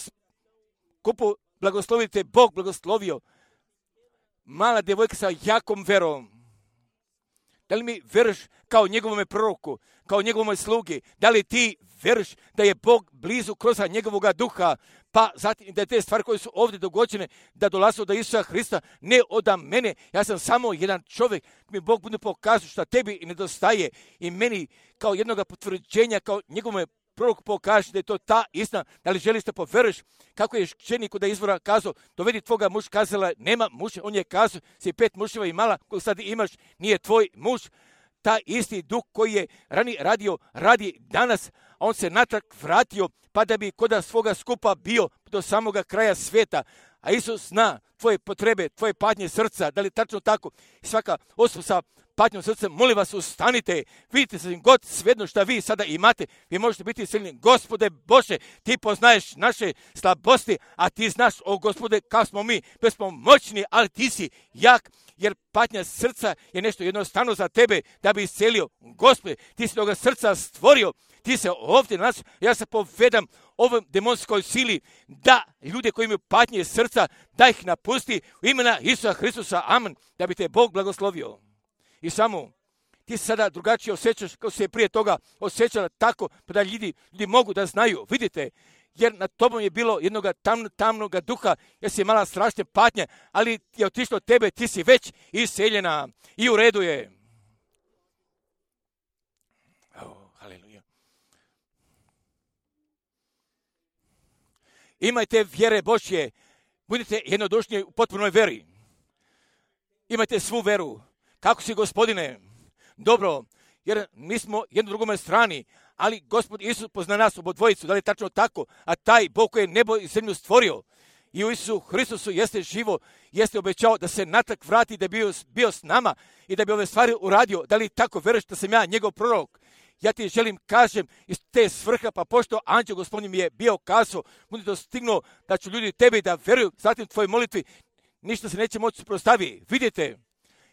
Speaker 1: kupu, blagoslovi te Bog blagoslovio. Mala djevojka sa jakom verom. Da li mi veriš kao njegovome proroku, kao njegovome slugi? Da li ti veriš da je Bog blizu kroz njegovoga duha, pa zatim da je te stvari koje su ovdje dogođene, da dolaze od Isusa Hrista, ne od mene. Ja sam samo jedan čovjek, mi Bog bude pokazao šta tebi nedostaje i meni kao jednoga potvrđenja, kao njegovome proroku pokaže da je to ta istina. Da li želiš da poveriš? Kako je ženi kod izvora kazao, dovedi tvoga muž, kazala, nema muža, on je kazao, si pet muževa imala, koji sad imaš, nije tvoj muž. Ta isti duh koji je ranije radio, radi danas, a on se natrag vratio, pa da bi kod svoga skupa bio do samoga kraja svijeta. A Isus zna tvoje potrebe, tvoje patnje srca, da li tačno tako? Svaka osoba sa patnjom srca, molim vas, ustanite, vidite se god svejedno šta vi sada imate, vi možete biti silni. Gospode Bože, ti poznaješ naše slabosti, a ti znaš, o Gospode, kako smo mi bespomoćni, ali ti si jak jer patnja srca je nešto jednostavno za tebe da bi iscelio. Gospode, ti si toga srca stvorio, ti se ovdje nas, ja se povedam ovom demonskoj sili, da ljude koji imaju patnje srca, da ih napusti u imena Isusa Hristusa, amen, da bi te Bog blagoslovio. I samo, ti se sada drugačije osjećaš kao se je prije toga osjećala tako, pa da ljudi, ljudi mogu da znaju, vidite, jer nad tobom je bilo jednog tam, tamnog duha, jer si imala strašne patnje, ali je otišlo od tebe, ti si već iseljena i u redu je. Oh, haleluja. Imajte vjere Božje, budite jednodušni u potpunoj veri. Imajte svu veru. Kako si, Gospodine? Dobro, jer mi smo jedno drugome strani, ali Gospod Isus pozna nas obodvojicu, da li je tačno tako, a taj Bog koji je nebo i zemlju stvorio i u Isusu Hristusu jeste živo, jeste obećao da se natrag vrati, da je bio, bio s nama i da bi ove stvari uradio. Da li tako veruješ da sam ja njegov prorok? Ja ti želim kažem iz te svrha, pa pošto anđeo Gospodin mi je bio kazao, budi dostignuo da ću ljudi tebi da veruju, zatim tvojoj molitvi, ništa se neće moći suprotstaviti. Vidite,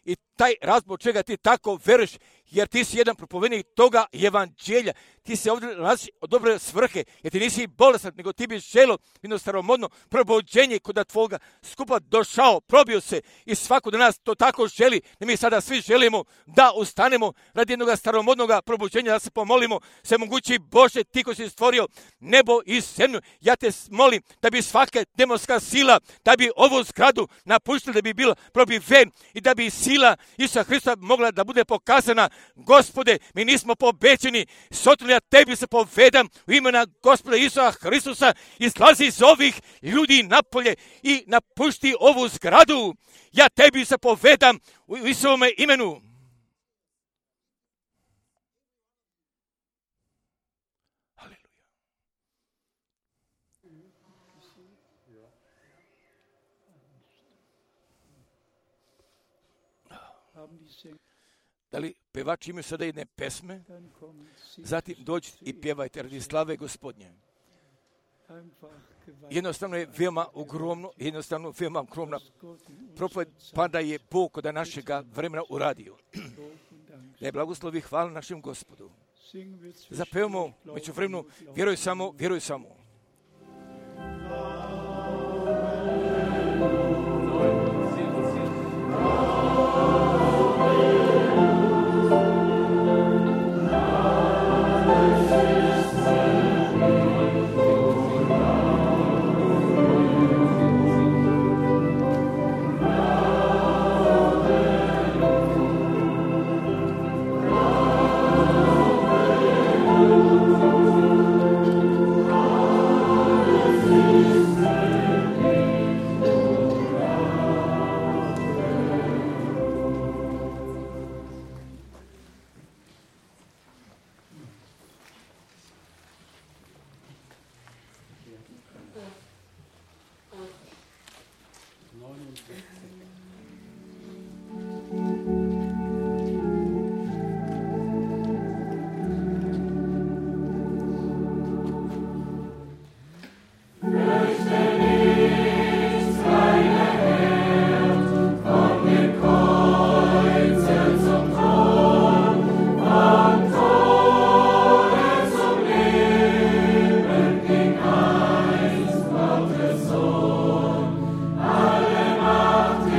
Speaker 1: i taj razlog čega ti tako veruješ, jer ti si jedan propovednik toga evanđelja. Ti se ovdje nalaziš od dobre svrhe, jer ti nisi bolestan, nego ti bi želo jedno staromodno probuđenje kod tvoga skupa došao, probio se i svako od nas to tako želi, da mi sada svi želimo da ustanemo radi jednog staromodnog probuđenja, da se pomolimo, se mogući Bože, ti koji si stvorio nebo i zemlju. Ja te molim da bi svaka demonska sila, da bi ovu zgradu napuštila, da bi bila probiven i da bi sila Isusa Hrista mogla da bude pokazana. Gospode, mi nismo pobećeni, sotno ja tebi se povedam u imena Gospoda Isusa Hristusa, izlazi iz ovih ljudi napolje i napušti ovu zgradu. Ja tebi se povedam u Isusovome imenu. Haleluja. Da li pevači imaju sada jedne pesme? Zatim dođite i pjevajte radi slave Gospodnje. Jednostavno je veoma ogromno, jednostavno veoma ogromna propoved, pa da je Bog kod našega vremena uradio. Da je blagoslovi hvala našem Gospodu. Zapevamo među vremenu, vjeruj samo, vjeruj samo.
Speaker 2: Alle Macht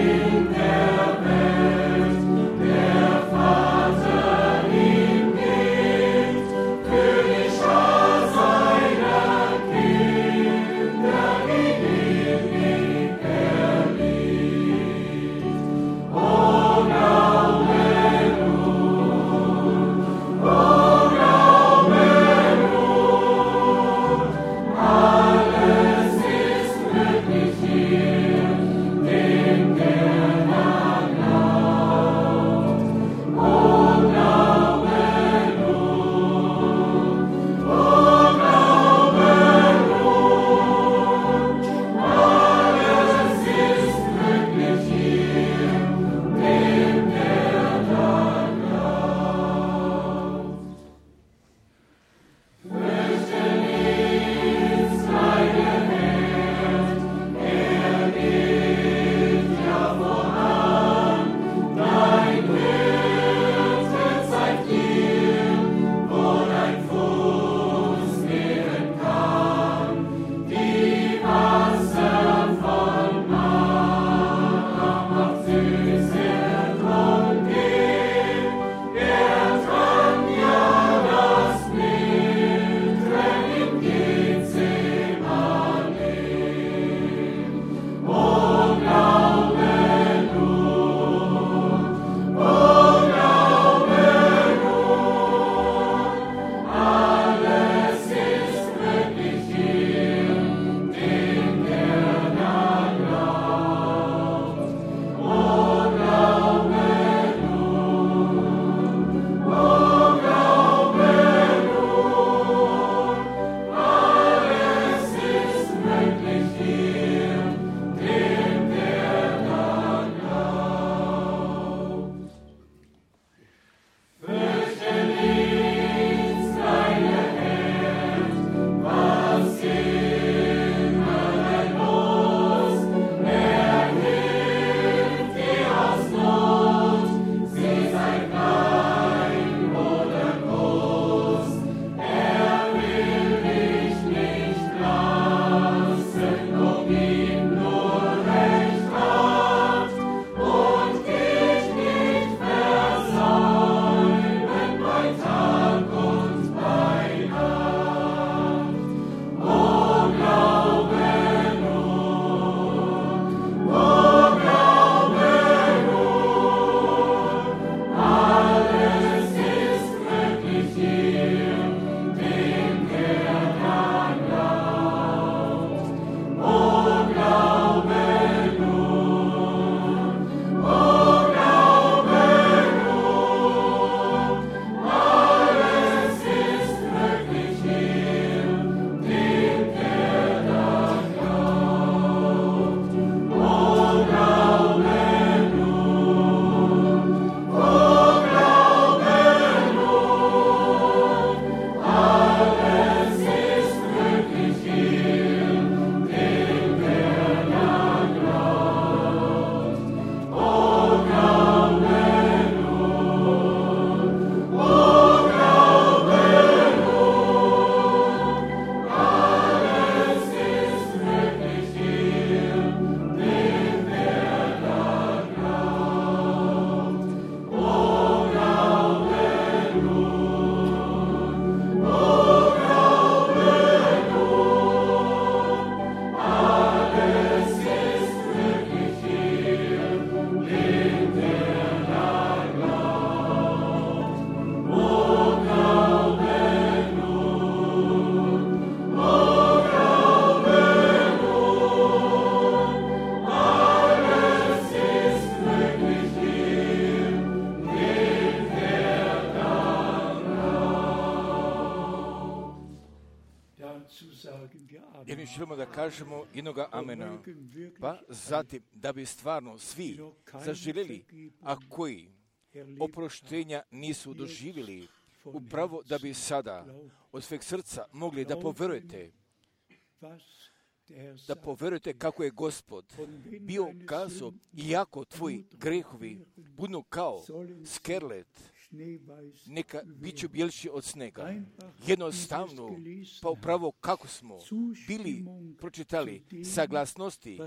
Speaker 1: možemo da kažemo jednoga amena. Pa zatim, da bi stvarno svi zaželjeli, a koji oproštenja nisu doživjeli, upravo da bi sada od sveg srca mogli da poverujete, da poverujete kako je Gospod bio kazao, iako tvoji grehovi budu kao skerlet, neka bit ću bjelši od snega. Jednostavno, pa upravo kako smo bili pročitali saglasnosti,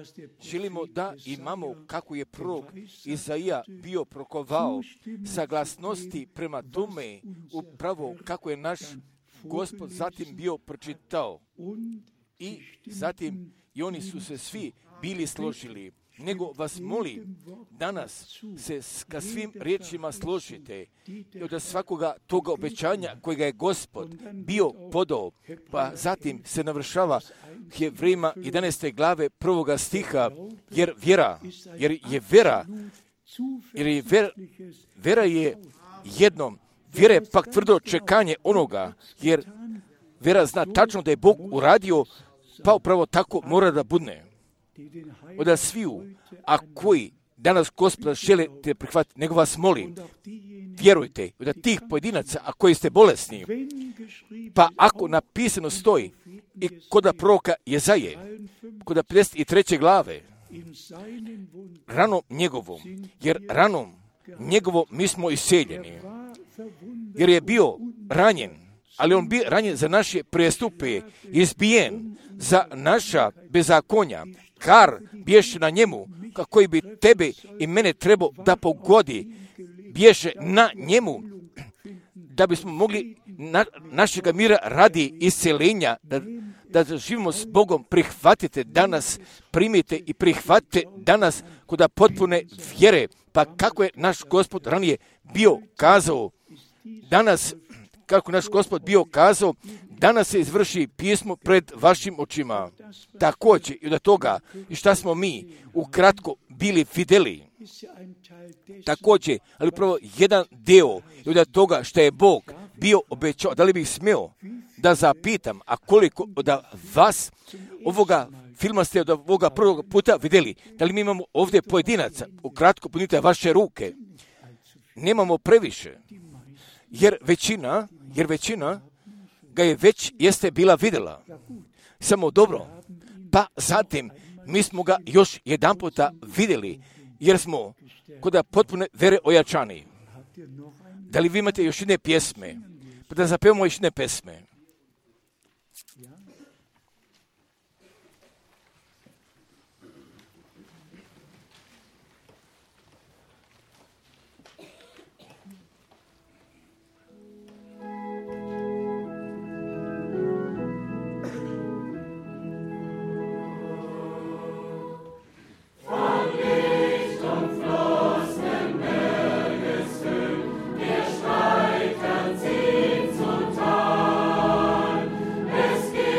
Speaker 1: želimo da imamo kako je prorok Izaija bio prokovao saglasnosti prema tome, upravo kako je naš Gospod zatim bio pročitao. I zatim i oni su se svi bili složili. Nego vas molim, danas se ka svim riječima složite i od svakoga toga obećanja kojega je Gospod bio podao, pa zatim se navršava Hebrejima jedanaeste glave prvoga stiha, jer vjera, jer je vera, jer je vera, vera je jednom, vjera je pak tvrdo čekanje onoga, jer vera zna tačno da je Bog uradio, pa upravo tako mora da budne. Od sviju, a koji danas Gospoda žele te prihvatiti, nego vas molim, vjerujte, od tih pojedinaca, a koji ste bolesni, pa ako napisano stoji i kod proroka Jezaje, kod pedeset treće glave, ranom njegovom, jer ranom njegovom mi smo iseljeni, jer je bio ranjen, ali on bio ranjen za naše prijestupe, izbijen za naša bezakonja, kar bješe na njemu, kako bi tebe i mene trebao da pogodi, bješe na njemu, da bismo mogli na, našega mira radi isceljenja, da, da živimo s Bogom. Prihvatite danas, primite i prihvatite danas kod potpune vjere, pa kako je naš Gospod ranije bio kazao, danas, kako naš Gospod bio kazao, danas se izvrši pismo pred vašim očima. Također i od toga, i šta smo mi ukratko bili vidjeli. Također, ali upravo jedan deo i od toga što je Bog bio obećao, da li bih smio da zapitam, a koliko od vas ovoga filma ste od ovoga prvog puta vidjeli, da li mi imamo ovdje pojedinaca, ukratko punite vaše ruke. Nemamo previše, jer većina, jer većina ga je već jeste bila vidjela. Samo dobro. Pa zatim mi smo ga još jedan puta vidjeli, jer smo kod potpune vere ojačani. Da li vi imate još jedne pjesme? Pa da zapevamo još jedne pjesme.
Speaker 2: Es geht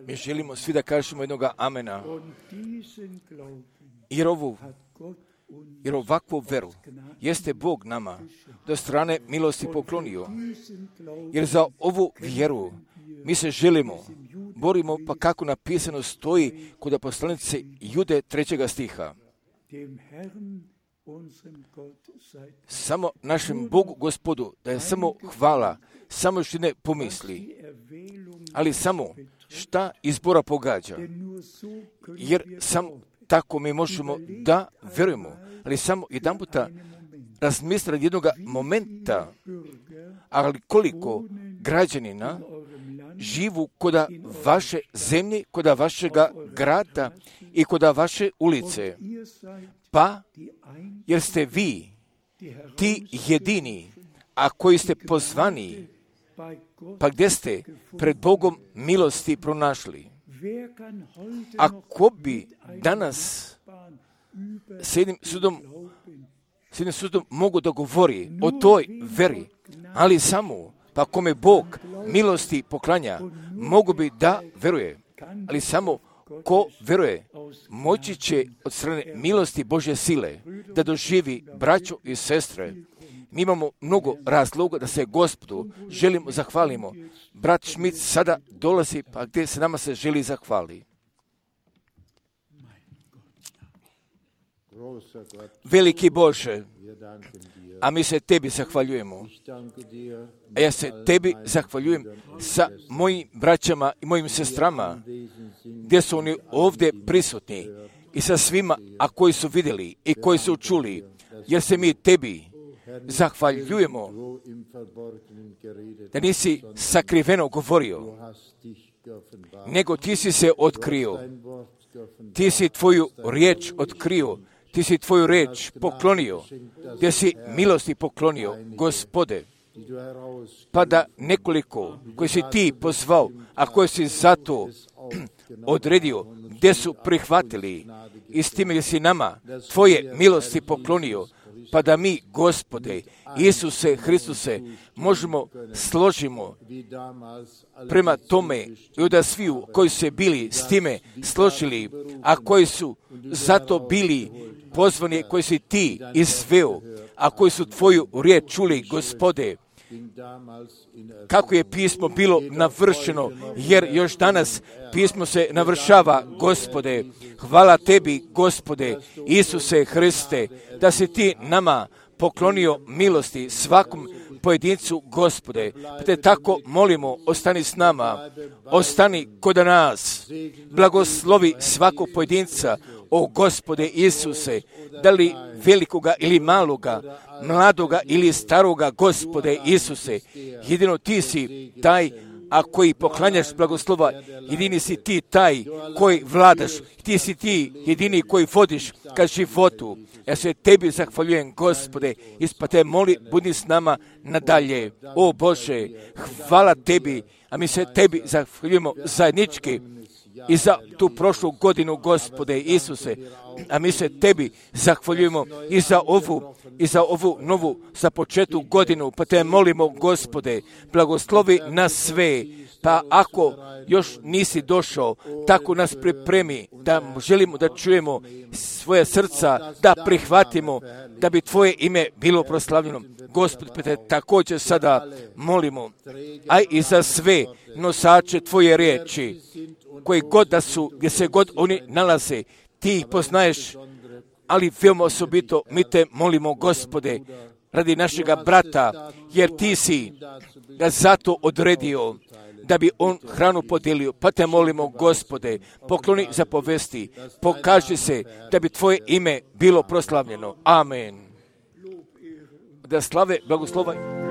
Speaker 1: Mi želimo svi da kažemo jednoga amena. Jer ovu, jer ovakvu veru jeste Bog nama do strane milosti poklonio. Jer za ovu vjeru mi se želimo, borimo, pa kako napisano stoji kod poslanice Jude trećega stiha. Samo našem Bogu Gospodu, da je samo hvala, samo još ne pomisli, ali samo šta izbora pogađa. Jer samo tako mi možemo da verujemo, ali samo jedan puta razmisliti jednog momenta, ali koliko građanina živu koda vaše zemlje, koda vašega grada i koda vaše ulice. Pa, jer ste vi ti jedini, a koji ste pozvani, pa gdje ste pred Bogom milosti pronašli. Ako bi danas s jednim sudom, s jednim sudom mogu da govori o toj veri, ali samo, pa kome Bog milosti poklanja, mogu bi da veruje, ali samo ko veruje, moći će od strane milosti Božje sile da doživi braćo i sestre. Mi imamo mnogo razloga da se Gospodu želimo zahvalimo. Brat Šmit sada dolazi, pa gdje se nama se želi zahvali. Veliki Bože, a mi se Tebi zahvaljujemo. A ja se Tebi zahvaljujem sa mojim braćama i mojim sestrama, gdje su oni ovdje prisutni, i sa svima, a koji su vidjeli i koji su čuli, jer se mi Tebi zahvaljujemo da nisi sakriveno govorio, nego Ti si se otkrio. Ti si Tvoju riječ otkrio, Ti si Tvoju riječ poklonio, gdje si milosti poklonio, Gospode, pa da nekoliko koji si Ti pozvao, a koji si zato odredio, gdje su prihvatili i s time gdje si nama Tvoje milosti poklonio, pa da mi, Gospode, Isuse Hristuse, možemo složimo prema tome i da sviju koji su bili s time složili, a koji su zato bili pozvani, koji si Ti izveo, a koji su Tvoju riječ čuli, Gospode, kako je pismo bilo navršeno, jer još danas pismo se navršava, Gospode. Hvala Tebi, Gospode, Isuse Hriste, da si Ti nama poklonio milosti svakom pojedincu, Gospode. Pa Te tako molimo, ostani s nama, ostani kod nas, blagoslovi svakog pojedinca, o Gospode Isuse, da li velikoga ili maloga, mladoga ili staroga, Gospode Isuse, jedino Ti si taj, a koji poklanjaš blagoslova, jedini si Ti taj koji vladaš, Ti si Ti jedini koji vodiš ka životu. Ja se Tebi zahvaljujem, Gospode, pa Te moli, budi s nama nadalje. O Bože, hvala Tebi, a mi se Tebi zahvaljujemo zajednički i za tu prošlu godinu, Gospode Isuse, a mi se Tebi zahvaljujemo i za ovu, i za ovu novu započetu godinu, pa Te molimo, Gospode, blagoslovi nas sve, pa ako još nisi došao, tako nas pripremi, da želimo da čujemo svoje srca, da prihvatimo, da bi Tvoje ime bilo proslavljeno. Gospod, pa Te također sada molimo, a i za sve nosače Tvoje riječi, koji god da su, gdje se god oni nalaze, Ti ih poznaješ, ali veoma osobito mi Te molimo, Gospode, radi našega brata, jer Ti si ga zato odredio, da bi on hranu podijelio, pa Te molimo, Gospode, pokloni zapovesti, pokaži se da bi Tvoje ime bilo proslavljeno. Amen. Da slave, blagoslova